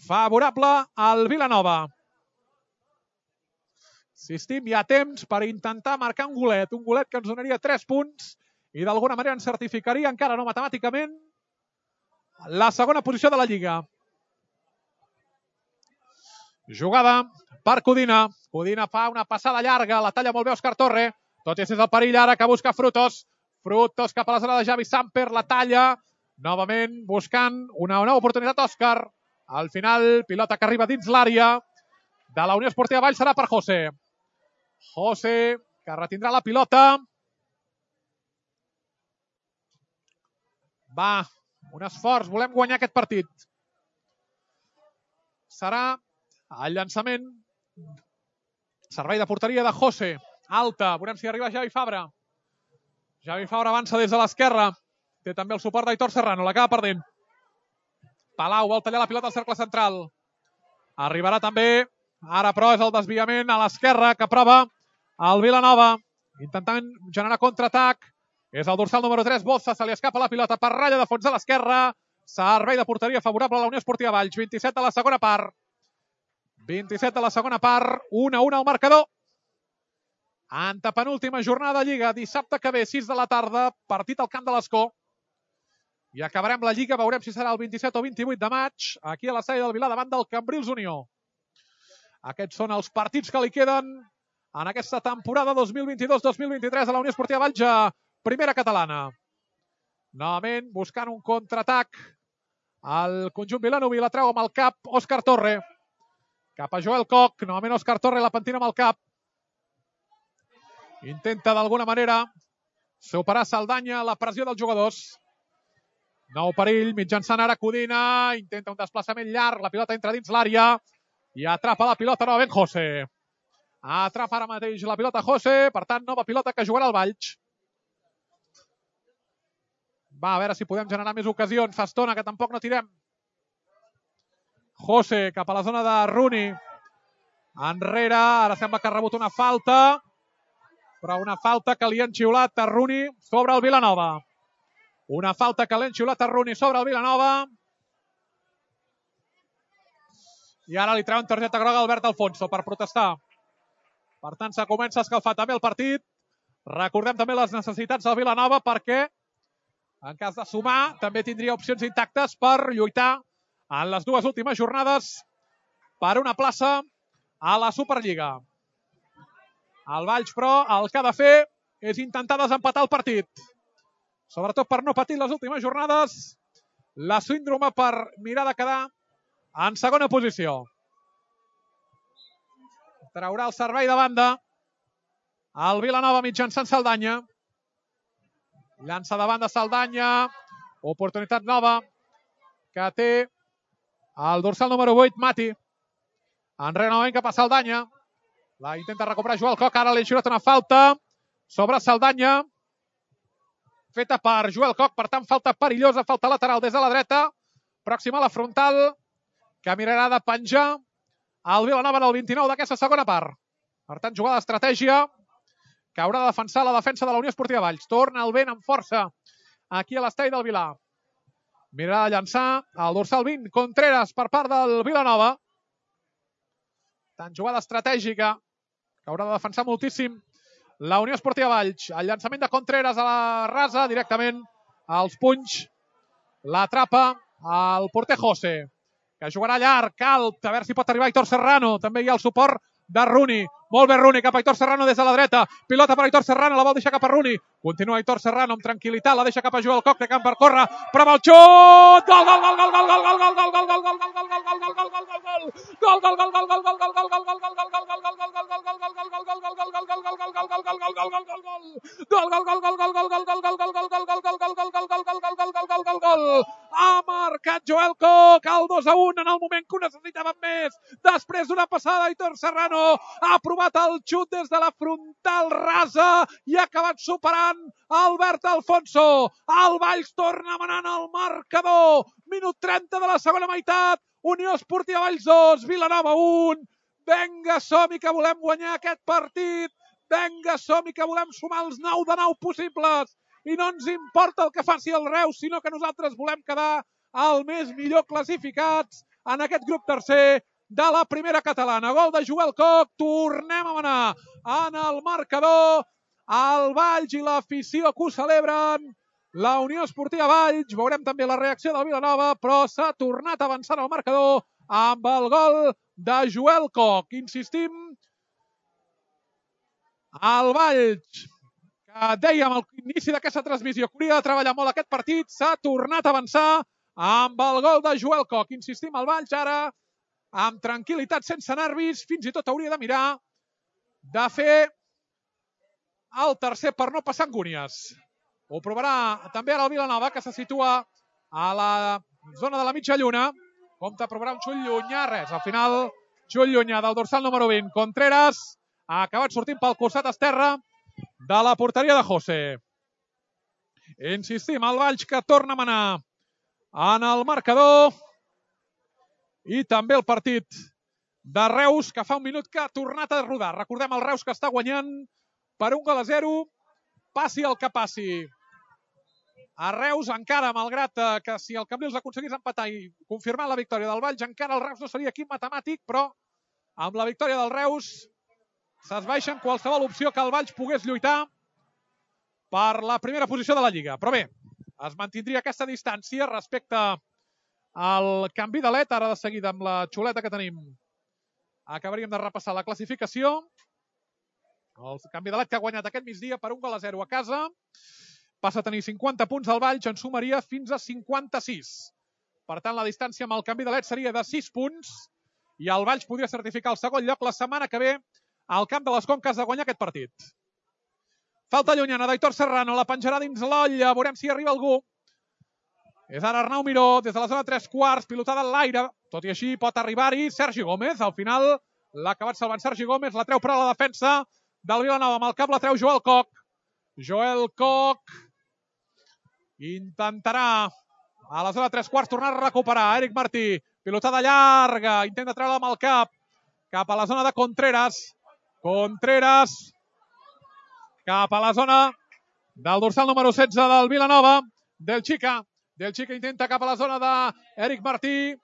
S1: favorable al Vilanova. Insistim, hi ha temps per intentar marcar un golet que ens donaria 3 punts i d'alguna manera ens certificaria, encara no matemàticament, la segona posició de la Lliga. Jugada per Codina. Codina fa una passada llarga, la talla molt bé Òscar Torre. Tot i és el perill ara que busca Frutos. Frutos cap a la zona de Javi Samper, la talla. Novament buscant una nova oportunitat Òscar. Al final, pilota que arriba dins l'àrea de la Unió Esportiva Valls serà per José. José, que retindrà la pilota. Va, un esforç, volem guanyar aquest partit. Serà el llançament. Servei de porteria de José. Alta, veurem si arriba Javi Fabra. Javi Fabra avança des de l'esquerra. Té també el suport d'Aitor Serrano, l'acaba perdent. Palau vol tallar la pilota al cercle central. Arribarà també, ara però és el desviament a l'esquerra que prova el Vilanova. Intentant generar contraatac. És el dorsal número 3, Boza, se li escapa la pilota per ratlla de fons a l'esquerra. Servei de porteria favorable a la Unió Esportiva Valls. 27 de la segona part. 27 de la segona part. 1-1 al marcador. Antepenúltima jornada de Lliga. Dissabte que ve, 6 de la tarda. Partit al camp de l'Escó. I acabarem la Lliga. Veurem si serà el 27 o 28 de maig. Aquí a l'estadi del Vilar davant del Cambrils Unió. Aquests són els partits que li queden en aquesta temporada 2022-2023 a la Unió Esportiva Valls a Primera Catalana. Novament buscant un contraatac. El conjunt vilanoví la treu amb el cap Òscar Torre. Cap a Joel Koch. Novament Òscar Torre la pentina amb el cap. Intenta d'alguna manera superar Saldanya la pressió dels jugadors. Nou perill, mitjançant ara Codina. Intenta un desplaçament llarg. La pilota entra dins l'àrea. I atrapa la pilota novament José. Atrapa ara mateix la pilota José. Per tant, nova pilota que jugarà el Valls. Va, a veure si podem generar més ocasions. Fa estona que tampoc no tirem. José cap a la zona de Rooney. Enrere, ara sembla que ha rebut una falta. Però una falta que li han xiulat a Rooney sobre el Vilanova. Una falta que li han xiulat a Rooney sobre el Vilanova. I ara li treuen targeta groga a Albert Alfonso per protestar. Per tant, se comença a escalfar també el partit. Recordem també les necessitats del Vilanova perquè en cas de sumar, també tindria opcions intactes per lluitar en les dues últimes jornades per una plaça a la Superliga. El Valls, però, el que ha de fer és intentar desempatar el partit. Sobretot per no patir les últimes jornades la síndrome per mirar de quedar en segona posició. Traurà el servei de banda el Vilanova mitjançant Saldanya. Llança de banda Saldanya. Oportunitat nova que té el dorsal número 8, Mati. Enrere novament cap a Saldanya. La intenta recuperar Joel Koch. Ara li ha xiulat una falta sobre Saldanya. Feta per Joel Koch. Per tant, falta perillosa. Falta lateral des de la dreta. Pròxima a la frontal. Que mirarà de penjar el Vilanova en el 29 d'aquesta segona part. Per tant, jugada d'estratègia que haurà de defensar la defensa de la Unió Esportiva Valls. Torna el vent amb força aquí a l'estadi del Vilar. Mirarà de llançar el dorsal 20, Contreras, per part del Vilanova. Tant jugada estratègica que haurà de defensar moltíssim la Unió Esportiva Valls. El llançament de Contreras a la rasa, directament als punys. L'atrapa el porter José, que jugarà llarg, alt, a veure si pot arribar Aitor Serrano. També hi ha el suport de Rooney. Molt bé Rooney, cap a Aitor Serrano des de la dreta. Pilota per Aitor Serrano, la vol deixar cap a Rooney. Continua Aitor Serrano amb tranquil·litat, la deixa cap a Joel Koch, que camp per córrer. Prova el xut! Gol, gol, gol, gol, gol, gol, gol, gol, gol, gol, gol, gol, gol, gol, gol, ha marcat Joel Koch el 2-1 en el moment que ho necessitaven més. Després d'una passada, Aitor Serrano ha provat el xut des de la frontal rasa i ha acabat superant Albert Alfonso. El Valls torna manant el marcador. Minut 30 de la segona meitat. Unió Esportiva Valls 2, Vilanova 1. Vinga, som-hi que volem guanyar aquest partit. Vinga, som-hi que volem sumar els 9 de 9 possibles. I no ens importa el que faci el Reus, sinó que nosaltres volem quedar el més millor classificats en aquest grup tercer de la Primera Catalana. Gol de Joel Koch. Tornem a manar en el marcador. El Valls i l'afició que ho celebren la Unió Esportiva Valls. Veurem també la reacció del Vilanova, però s'ha tornat a avançar el marcador amb el gol de Joel Koch. Insistim, el Valls, que dèiem a l'inici d'aquesta transmissió que hauria de treballar molt aquest partit, s'ha tornat a avançar amb el gol de Joel Koch. Insistim, el Valls ara, amb tranquil·litat, sense nervis, fins i tot hauria de mirar de fer el tercer per no passar angúnies. Ho provarà també ara el Vilanova, que se situa a la zona de la mitja lluna. Compte a provar un xut llunyà, res. Al final, xut llunyà del dorsal número 20. Contreras ha acabat sortint pel costat esquerre de la porteria de José. Insistim, el Valls que torna a manar en el marcador. I també el partit de Reus, que fa un minut que ha tornat a rodar. Recordem el Reus que està guanyant per 1-0, passi el que passi. A Reus encara, malgrat que si el Cambrils aconseguís empatar i confirmar la victòria del Valls, encara el Reus no seria equip matemàtic, però amb la victòria del Reus s'esbaixa en qualsevol opció que el Valls pogués lluitar per la primera posició de la Lliga. Però bé, es mantindria aquesta distància respecte al canvi de led. Ara de seguida amb la xuleta que tenim acabaríem de repassar la classificació. El canvi de led que ha guanyat aquest migdia per 1-0 a casa. Passa a tenir 50 punts al Valls, en sumaria fins a 56. Per tant, la distància amb el canvi de led seria de 6 punts i el Valls podria certificar el segon lloc la setmana que ve al Camp de les Conques de guanyar aquest partit. Falta llunyana d'Aitor Serrano, la penjarà dins l'olla, veurem si arriba algú. És ara Arnau Miró, des de la zona 3/4, pilotada en l'aire. Tot i així pot arribar-hi Sergi Gómez. Al final l'ha acabat salvant Sergi Gómez, la treu per a la defensa del Vilanova. Amb el cap la treu Joel Koch. Joel Koch intentarà a la zona 3/4 tornar a recuperar. Eric Martí, pilotada llarga, intenta treure amb el cap a la zona de Contreras. Contreras cap a la zona del dorsal número 16 del Vilanova. Del Chica intenta cap a la zona d'Eric Martí.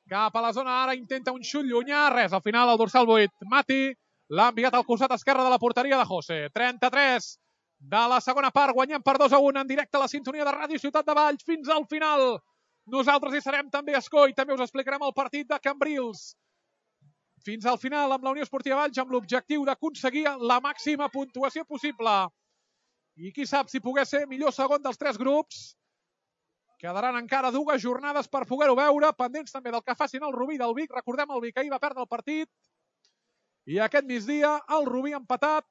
S1: Cap a la zona ara intenta un xut llunyà. Res, al final el dorsal 8. Mati l'ha enviat al costat esquerre de la porteria de José. 33 de la segona part, guanyem per 2-1 en directe a la sintonia de Ràdio Ciutat de Valls fins al final. Nosaltres hi serem també a Escó i també us explicarem el partit de Cambrils. Fins al final amb la Unió Esportiva Valls amb l'objectiu d'aconseguir la màxima puntuació possible. I qui sap si pogués ser millor segon dels 3 grups. Quedaran encara 2 jornades per poder-ho veure, pendents també del que facin el Rubí del Vic. Recordem el Vic ahir va perdre el partit i aquest migdia el Rubí ha empatat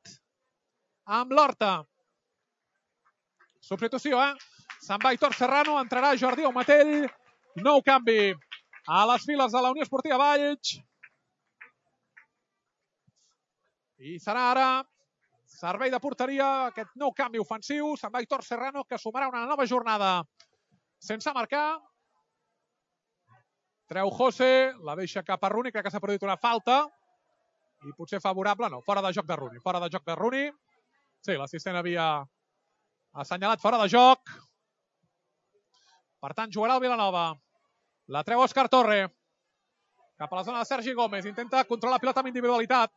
S1: amb l'Horta. Substitució, se'n va Aitor Serrano, entrarà Jordi Aumatell. Nou canvi a les files de la Unió Esportiva Valls. I serà ara servei de porteria, aquest nou canvi ofensiu. Se'n va Aitor Serrano, que sumarà una nova jornada sense marcar. Treu José, la deixa cap a Rooney, crec que s'ha produït una falta. I potser favorable, no, fora de joc de Rooney. Fora de joc de Rooney. Sí, l'assistent havia assenyalat fora de joc. Per tant, jugarà el Vilanova. La treu Òscar Torre. Cap a la zona de Sergi Gómez. Intenta controlar la pilota amb individualitat.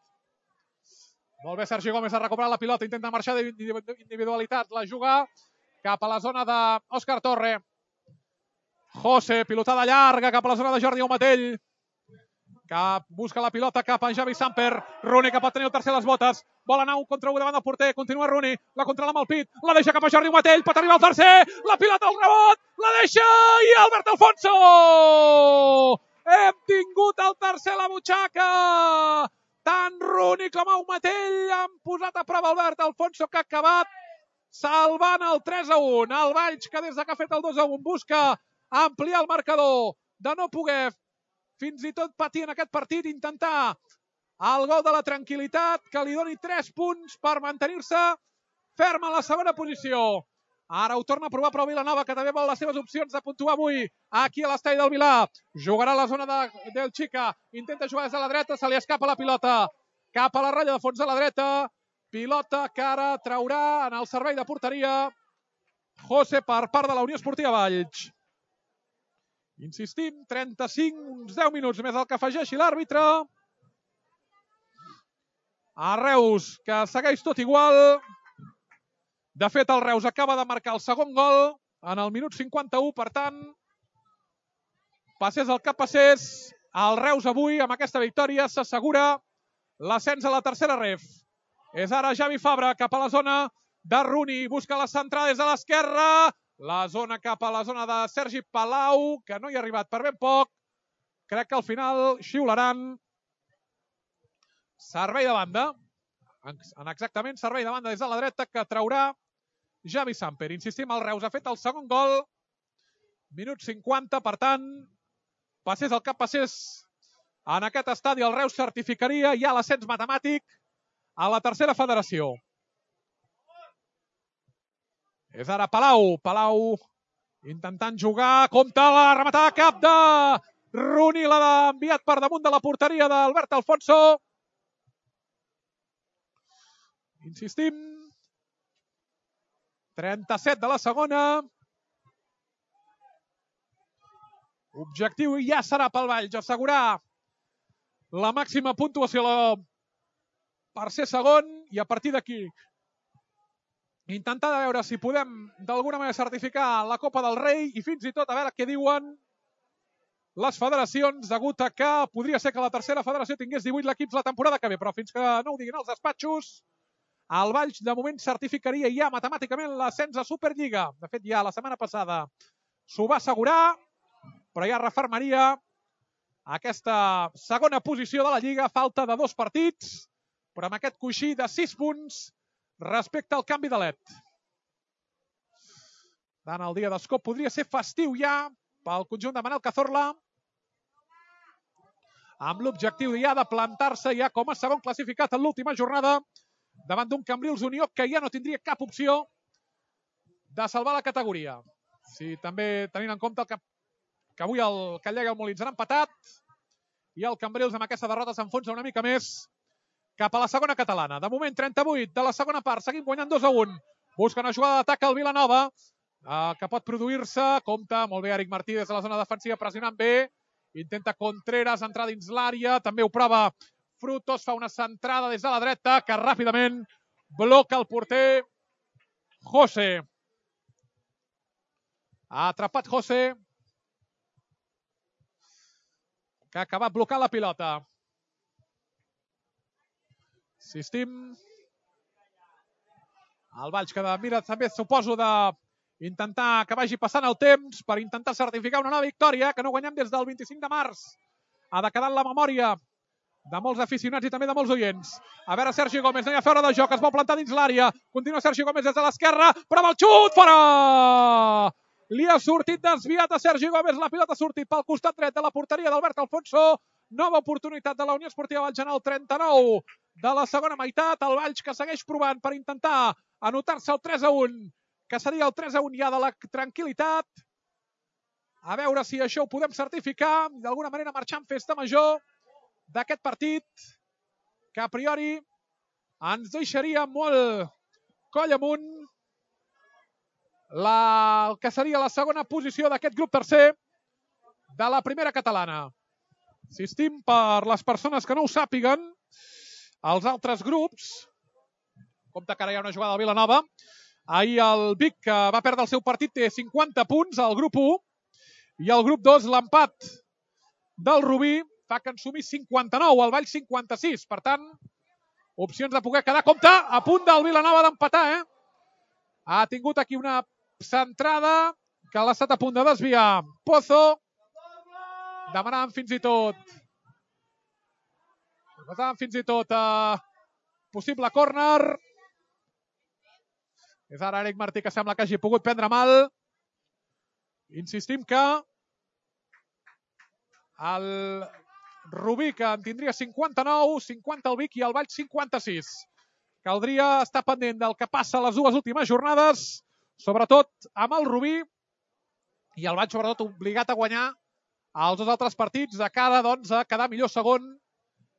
S1: Molt bé, Sergi Gómez ha recuperat la pilota. Intenta marxar d'individualitat. La juga cap a la zona d'Òscar Torre. José, pilotada llarga cap a la zona de Jordi Aumatell. Busca la pilota cap a Javi Samper. Rooney, que pot tenir el tercer a les botes. Vol anar un contra 1 davant del porter. Continua Rooney. La controla amb el pit. La deixa cap a Jordi Aumatell. Pot arribar al tercer. La pilota al rebot. La deixa i Albert Alfonso. Hem tingut el tercer a la butxaca. Tant Rooney com Aumatell han posat a prova Albert Alfonso, que ha acabat salvant el 3-1. El Valls, que des que ha fet el 2-1 busca ampliar el marcador, de no poder fins i tot patir en aquest partit, intentar el gol de la tranquil·litat, que li doni 3 punts per mantenir-se ferm a la segona posició. Ara ho torna a provar però Vilanova, que també vol les seves opcions de puntuar avui aquí a l'estadi del Vilà. Jugarà a la zona del Chica, intenta jugar des de la dreta, se li escapa la pilota cap a la ratlla de fons de la dreta. Pilota que ara traurà en el servei de porteria José per part de la Unió Esportiva Valls. Insistim, 35, uns 10 minuts més el que afegeixi l'àrbitre. A Reus, que segueix tot igual. De fet, el Reus acaba de marcar el segon gol en el minut 51, per tant, passés el que passés, el Reus avui, amb aquesta victòria, s'assegura l'ascens a la tercera ref. És ara Javi Fabra cap a la zona de Rooney, busca la centrada des de l'esquerra, la zona cap a la zona de Sergi Palau, que no hi ha arribat per ben poc. Crec que al final xiularan servei de banda. Exactament, servei de banda des de la dreta que traurà Javi Samper. Insistim, el Reus ha fet el segon gol. Minut 50, per tant, passés el que passés en aquest estadi, el Reus certificaria ja l'ascens matemàtic a la tercera federació. És ara Palau. Palau intentant jugar. Compte la rematada cap de Rooney. L'ha enviat per damunt de la porteria d'Albert Alfonso. Insistim. 37 de la segona. Objectiu ja serà pel Valls assegurar la màxima puntuació per ser segon i a partir d'aquí intentar veure si podem d'alguna manera certificar la Copa del Rei i fins i tot a veure què diuen les federacions, degut a que podria ser que la tercera federació tingués 18 l'equips la temporada que ve, però fins que no ho diguin els despatxos, el Valls de moment certificaria ja matemàticament l'ascens a Superliga. De fet, ja la setmana passada s'ho va assegurar, però ja refermaria aquesta segona posició de la Lliga, falta de 2 partits, però amb aquest coixí de 6 punts respecte al canvi de LED. Tant el dia d'Escop podria ser festiu ja pel conjunt de Manel Cazorla, amb l'objectiu ja de plantar-se ja com a segon classificat en l'última jornada davant d'un Cambrils Unió que ja no tindria cap opció de salvar la categoria. Si també tenint en compte que avui el Callega i el Molins han empatat i el Cambrils amb aquesta derrota s'enfonsa una mica més cap a la segona catalana. De moment, 38 de la segona part, seguim guanyant 2-1. Busca una jugada d'atac al Vilanova, que pot produir-se. Compte, molt bé, Eric Martí des de la zona defensiva, pressionant bé. Intenta Contreras entrar dins l'àrea, també ho prova Frutos, fa una centrada des de la dreta, que ràpidament bloca el porter José. Ha atrapat José, que ha acabat blocant la pilota. Insistim. El Valls que mira també, suposo, d'intentar que vagi passant el temps per intentar certificar una nova victòria, que no guanyem des del 25 de març. Ha de quedar en la memòria de molts aficionats i també de molts oients. A veure, Sergi Gómez, no hi ha fora de joc, es vol plantar dins l'àrea. Continua Sergi Gómez des de l'esquerra, però amb el xut, fora! Li ha sortit desviat a Sergi Gómez, la pilota ha sortit pel costat dret de la porteria d'Albert Alfonso. Nova oportunitat de la Unió Esportiva Valls en el 39 de la segona meitat. El Valls que segueix provant per intentar anotar-se el 3-1, que seria el 3-1 ja de la tranquil·litat. A veure si això ho podem certificar, d'alguna manera marxar en festa major d'aquest partit, que a priori ens deixaria molt coll amunt el que seria la segona posició d'aquest grup tercer de la primera catalana. Insistim, per les persones que no ho sàpiguen, els altres grups, compte que ara hi ha una jugada del Vilanova, ahir el Vic, que va perdre el seu partit, té 50 punts al grup 1, i al grup 2 l'empat del Rubí fa que en sumi 59, el Valls 56. Per tant, opcions de poder quedar. Compte, a punt del Vilanova d'empatar, Ha tingut aquí una centrada que l'ha estat a punt de desviar Pozo, demanant fins i tot possible córner. És ara Eric Martí, que sembla que hagi pogut prendre mal. Insistim que el Rubí, que en tindria 59, 50 el Vic i el Valls 56. Caldria estar pendent del que passa a les dues últimes jornades, sobretot amb el Rubí, i el Valls sobretot obligat a guanyar els dos altres partits de cara, doncs, a quedar millor segon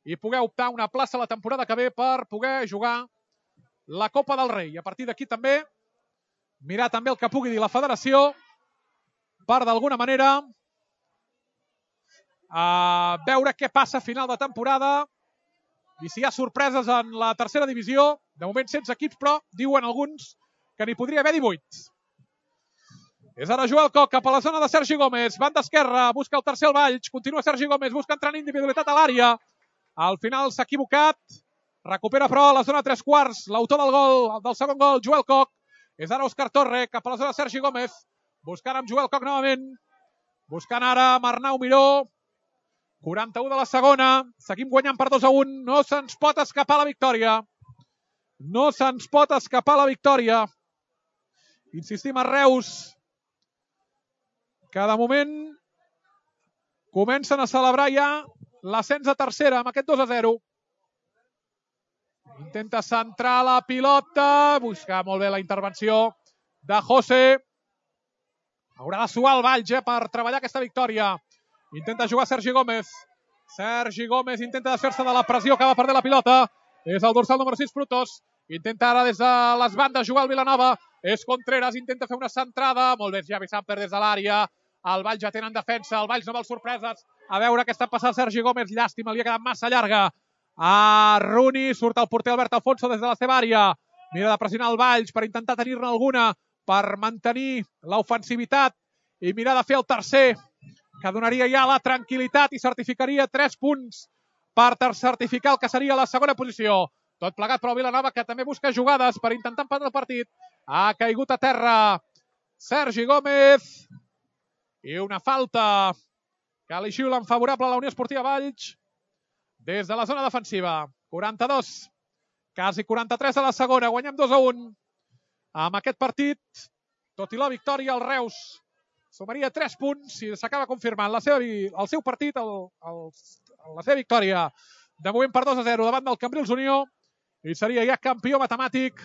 S1: i poder optar una plaça la temporada que ve per poder jugar la Copa del Rei. I a partir d'aquí també mirar també el que pugui dir la federació per d'alguna manera veure què passa a final de temporada i si hi ha sorpreses en la tercera divisió. De moment 16 equips, però diuen alguns que n'hi podria haver 18. És ara Joel Koch cap a la zona de Sergi Gómez. Banda esquerra, busca el tercer al Valls. Continua Sergi Gómez, busca entrar en individualitat a l'àrea. Al final s'ha equivocat. Recupera però a la zona 3/4. L'autor del gol, del segon gol, Joel Koch. És ara Òscar Torre cap a la zona de Sergi Gómez. Buscant amb Joel Koch novament. Buscant ara amb Arnau Miró. 41 de la segona. Seguim guanyant per 2-1. No se'ns pot escapar la victòria. No se'ns pot escapar la victòria. Insistim a Reus, que de moment comencen a celebrar ja l'ascens a tercera amb aquest 2-0. Intenta centrar la pilota, busca molt bé la intervenció de José. Haurà de suar el Valls per treballar aquesta victòria. Intenta jugar Sergi Gómez. Sergi Gómez intenta desfer-se de la pressió que va perdre la pilota. És el dorsal número 6, Frutos. Intenta ara des de les bandes jugar el Vilanova. És Contreras, intenta fer una centrada. Molt bé, Javi Samper des de l'àrea. El Valls ja tenen defensa, el Valls no vol sorpreses. A veure què està passant Sergi Gómez. Llàstima, li ha quedat massa llarga. A Rooney, surt el porter Albert Alfonso des de la seva àrea. Mira de pressionar el Valls per intentar tenir-ne alguna, per mantenir l'ofensivitat i mirar de fer el tercer, que donaria ja la tranquil·litat i certificaria 3 punts per certificar el que seria la segona posició. Tot plegat però Vilanova, que també busca jugades per intentar empatar el partit. Ha caigut a terra Sergi Gómez. I una falta que li xiulen favorable a la Unió Esportiva Valls des de la zona defensiva. 42, quasi 43 de la segona. Guanyem 2-1. Amb aquest partit, tot i la victòria, el Reus sumaria 3 punts i s'acaba confirmant el seu partit, la seva victòria. De moment per 2-0 davant del Cambrils Unió i seria ja campió matemàtic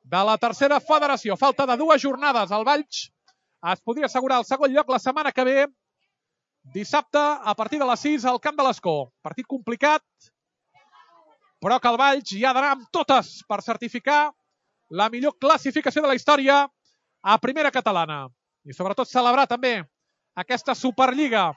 S1: de la tercera federació. Falta de 2 jornades. El Valls es podria assegurar el segon lloc la setmana que ve, dissabte, a partir de les 6 al Camp de l'Escó. Partit complicat, però que el Valls hi ha d'anar amb totes per certificar la millor classificació de la història a primera catalana. I sobretot celebrar també aquesta Superliga.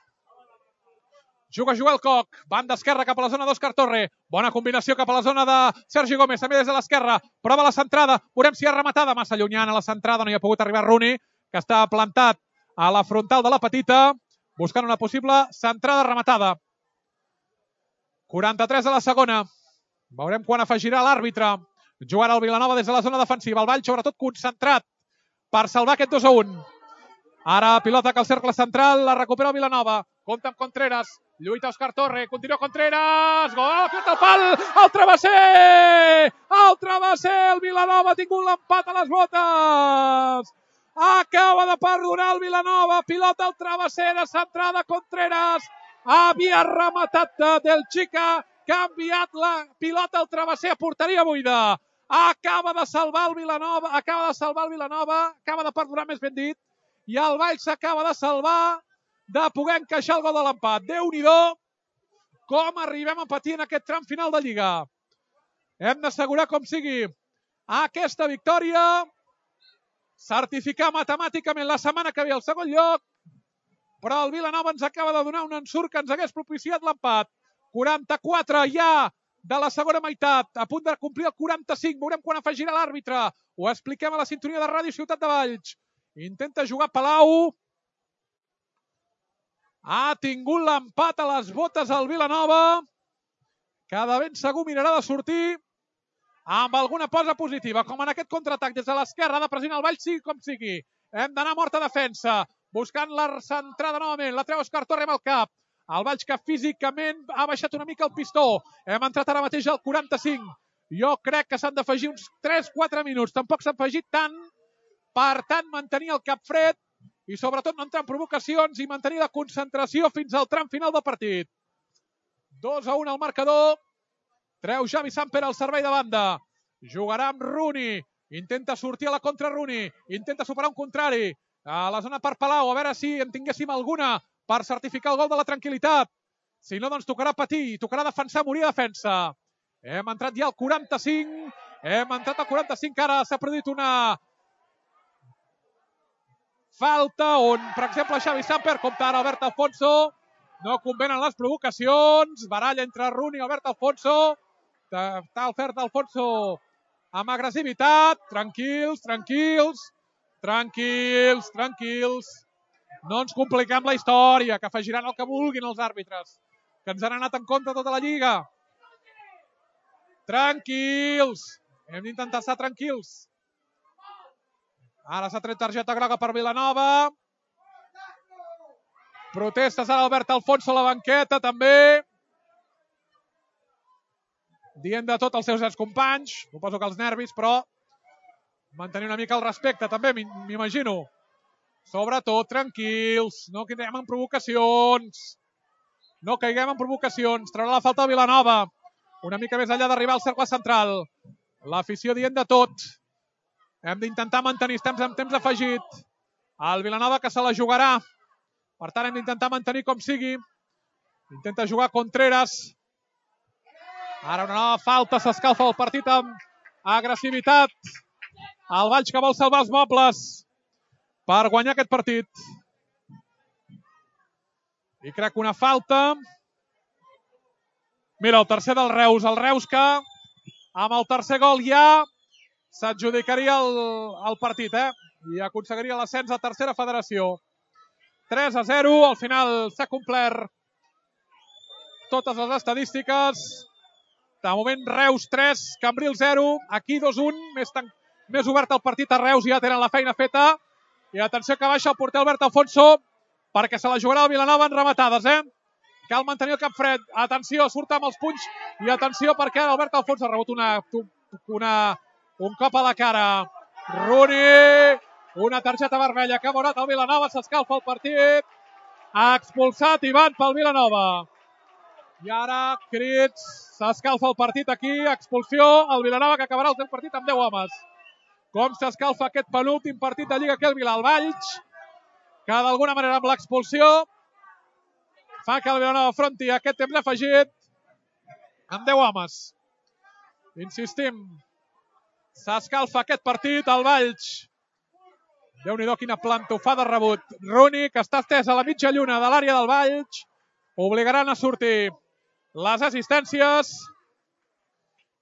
S1: Juga Joel Koch, banda esquerra cap a la zona d'Òscar Torre. Bona combinació cap a la zona de Sergi Gómez, també des de l'esquerra. Prova la centrada, veurem si ha rematada. Massa llunyana la centrada, no hi ha pogut arribar Rooney, que està plantat a la frontal de la petita, buscant una possible centrada rematada. 43 de la segona. Veurem quan afegirà l'àrbitre. Jugarà el Vilanova des de la zona defensiva. El Valls, sobretot, concentrat per salvar aquest 2-1. Ara pilota que el cercle central la recupera el Vilanova. Compta amb Contreras. Lluita Òscar Torre. Continua Contreras. Gol! Pilota al pal! El travesser! El travesser! El Vilanova ha tingut l'empat a les botes! Acaba de perdonar el Vilanova. Pilota al travesser de centrada Contreras. Havia rematat del Chica, que ha enviat la pilota al travesser a porteria buida. Acaba de salvar el Vilanova, acaba de perdonar, més ben dit, i el Valls s'acaba de salvar de poder encaixar el gol de l'empat. Déu-n'hi-do com arribem a empatir en aquest tram final de Lliga. Hem d'assegurar com sigui aquesta victòria, certificar matemàticament la setmana que ve el segon lloc, però el Vilanova ens acaba de donar un ensurt que ens hagués propiciat l'empat. 44 ja de la segona meitat, a punt de complir el 45. Veurem quan afegirà l'àrbitre. Ho expliquem a la sintonia de Ràdio Ciutat de Valls. Intenta jugar Palau. Ha tingut l'empat a les botes el Vilanova, que de ben segur mirarà de sortir amb alguna cosa positiva, com en aquest contraatac des de l'esquerra de pressionar el Valls, sigui com sigui. Hem d'anar morta defensa, buscant la centrada novament, la treu Òscar Torre amb el cap. El Valls que físicament ha baixat una mica el pistó. Hem entrat ara mateix al 45. Jo crec que s'han d'afegir uns 3-4 minuts. Tampoc s'ha afegit tant. Per tant, mantenir el cap fred i sobretot no entrar en provocacions i mantenir la concentració fins al tram final del partit. 2-1 al marcador. Treu Javi Samper al servei de banda. Jugarà amb Rooney. Intenta sortir a la contra Rooney. Intenta superar un contrari. A la zona per Palau. A veure si en tinguéssim alguna per certificar el gol de la tranquil·litat. Si no, doncs tocarà patir, tocarà defensar, morir a defensa. Hem entrat ja al 45. Ara s'ha produït una falta on, per exemple, Xavi Samper, compta ara Albert Alfonso. No convenen les provocacions. Baralla entre Rooney i Albert Alfonso. Està Albert Alfonso amb agressivitat. Tranquils, tranquils, tranquils, tranquils. No ens compliquem la història, que afegiran el que vulguin els àrbitres, que ens han anat en compte tota la lliga. Tranquils. Hem d'intentar estar tranquils. Ara s'ha tret targeta groga per Vilanova. Protestes ara Albert Alfonso a la banqueta, també. Dient de tot als seus excompanys. Suposo que els nervis, però mantenir una mica el respecte, també, m'imagino. Sobretot, tranquils. No caiguem en provocacions. No caiguem en provocacions. Traurà la falta de Vilanova. Una mica més enllà d'arribar al cercle central. L'afició dient de tot. Hem d'intentar mantenir, estem en temps afegit. El Vilanova que se la jugarà. Per tant, hem d'intentar mantenir com sigui. Intenta jugar Contreras. Ara una nova falta, s'escalfa el partit amb agressivitat. El Valls que vol salvar els mobles per guanyar aquest partit. I crec que una falta. Mira, el tercer del Reus. El Reus que amb el tercer gol ja s'adjudicaria el partit, i aconseguiria l'ascens a tercera federació. 3-0, al final s'ha complert totes les estadístiques. De moment Reus 3, Cambril 0, aquí 2-1, més obert el partit a Reus, ja tenen la feina feta. I atenció que baixa el porter Albert Alfonso perquè se la jugarà el Vilanova en rematades, Cal mantenir el cap fred. Atenció, surt amb els punys i atenció perquè Albert Alfonso ha rebut un cop a la cara. Rooney, una targeta vermella que ha veurà el Vilanova, s'escalfa el partit. Ha expulsat Ivan pel Vilanova. I ara, crits, s'escalfa el partit aquí, expulsió, el Vilanova que acabarà el seu partit amb 10 homes. Com s'escalfa aquest penúltim partit de Lliga aquí el Valls, que d'alguna manera amb l'expulsió fa que el Vilanova afronti aquest temps afegit amb 10 homes. Insistim, s'escalfa aquest partit, el Valls. Déu-n'hi-do, quina plantofada rebut. Rooney, que està estès a la mitja lluna de l'àrea del Valls, obligaran a sortir les assistències.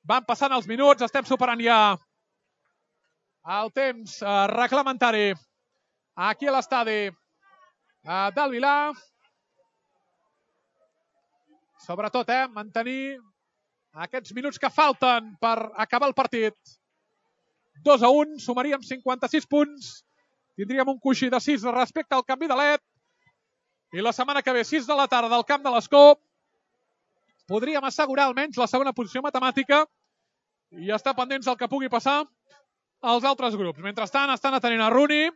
S1: Van passant els minuts, estem superant ja el temps reglamentari aquí a l'estadi del Vilà. Sobretot, mantenir aquests minuts que falten per acabar el partit. 2-1, sumaríem 56 punts. Tindríem un coixí de 6 respecte al canvi de LED. I la setmana que ve, 6 de la tarda, al camp de l'Escó, podríem assegurar almenys la segona posició matemàtica i estar pendents del que pugui passar als altres grups. Mentrestant, estan atenent a Rooney.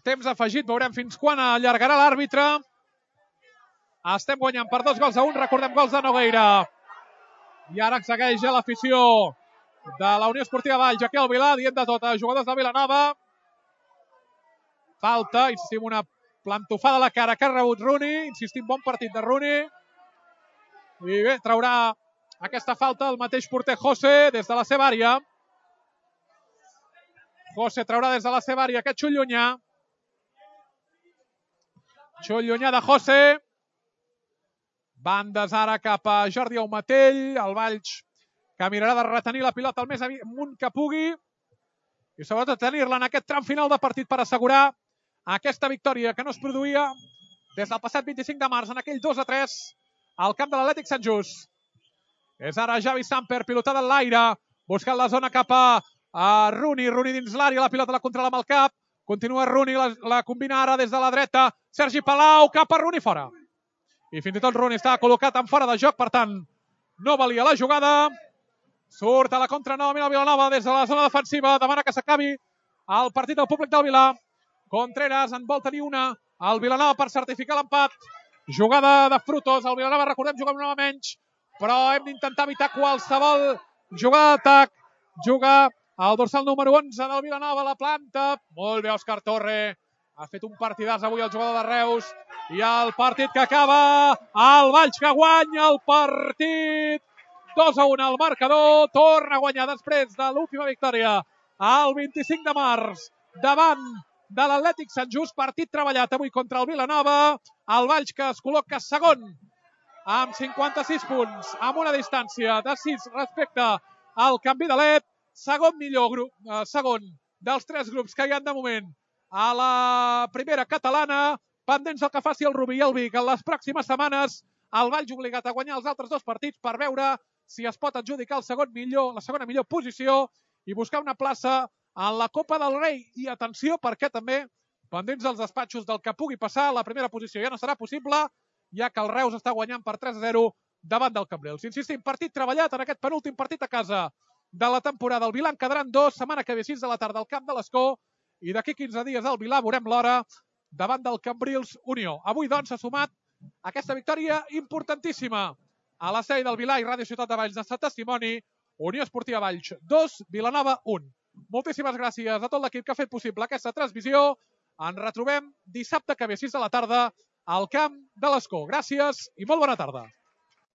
S1: Temps afegit, veurem fins quan allargarà l'àrbitre. Estem guanyant per 2-1, recordem gols de Nogueira. I ara segueix l'afició de la Unió Esportiva Valls, aquí al Vilà, dient de tot a jugadors de Vilanova. Falta, insistim, una plantofada a la cara que ha rebut Rooney. Insistim, bon partit de Rooney. I bé, traurà aquesta falta el mateix porter José des de la seva àrea. José traurà des de la seva àrea aquest xut llunyà. Xut llunyà de José. Bandes ara cap a Jordi Aumatell. El Valls que mirarà de retenir la pilota el més amunt que pugui. I sobretot tenir-la en aquest tram final de partit per assegurar aquesta victòria que no es produïa des del passat 25 de març en aquell 2-3 al camp de l'Atlètic Sant Just. És ara Javi Samper, pilotada en l'aire, buscant la zona cap a Rooney. Rooney dins l'àrea, la pilota la controla amb el cap. Continua Rooney, la combina ara des de la dreta. Sergi Palau, cap a Rooney, fora. I fins i tot Rooney estava col·locat en fora de joc, per tant, no valia la jugada. Surt a la contra novament el Vilanova des de la zona defensiva. Demana que s'acabi el partit del públic del Vilà. Contreras en vol tenir una. El Vilanova per certificar l'empat. Jugada de Frutos. El Vilanova, recordem, juga amb una menys. Però hem d'intentar evitar qualsevol jugada d'atac. Juga el dorsal número 11 del Vilanova, la planta. Molt bé, Òscar Torre. Ha fet un partidàs avui el jugador de Reus. I el partit que acaba. El Valls que guanya el partit. 2-1 al marcador. Torna a guanyar després de l'última victòria el 25 de març davant de l'Atlètic Sant Just. Partit treballat avui contra el Vilanova. El Valls que es col·loca segon amb 56 punts, amb una distància de 6 respecte al canvi de LED. segon millor grup, segon dels 3 grups que hi ha de moment a la primera catalana, pendents del que faci el Rubí i el Vic. En les pròximes setmanes el Valls obligat a guanyar els altres 2 partits per veure si es pot adjudicar la segona millor posició i buscar una plaça en la Copa del Rei. I atenció, perquè també, pendents dels despatxos del que pugui passar, la primera posició ja no serà possible, ja que el Reus està guanyant per 3-0 davant del Cambrils. Insistim, partit treballat en aquest penúltim partit a casa de la temporada. El Vilà en quedaran 2, setmana que ve 6 de la tarda al Camp de l'Escó, i d'aquí 15 dies al Vilà veurem l'hora davant del Cambrils Unió. Avui, doncs, s'ha sumat aquesta victòria importantíssima a la sèrie del Vilà i Ràdio Ciutat de Valls de Sant Testimoni. Unió Esportiva Valls 2, Vilanova 1. Moltíssimes gràcies a tot l'equip que ha fet possible aquesta transmissió. Ens retrobem dissabte que ve 6 de la tarda al Camp de l'Escó. Gràcies i molt bona tarda.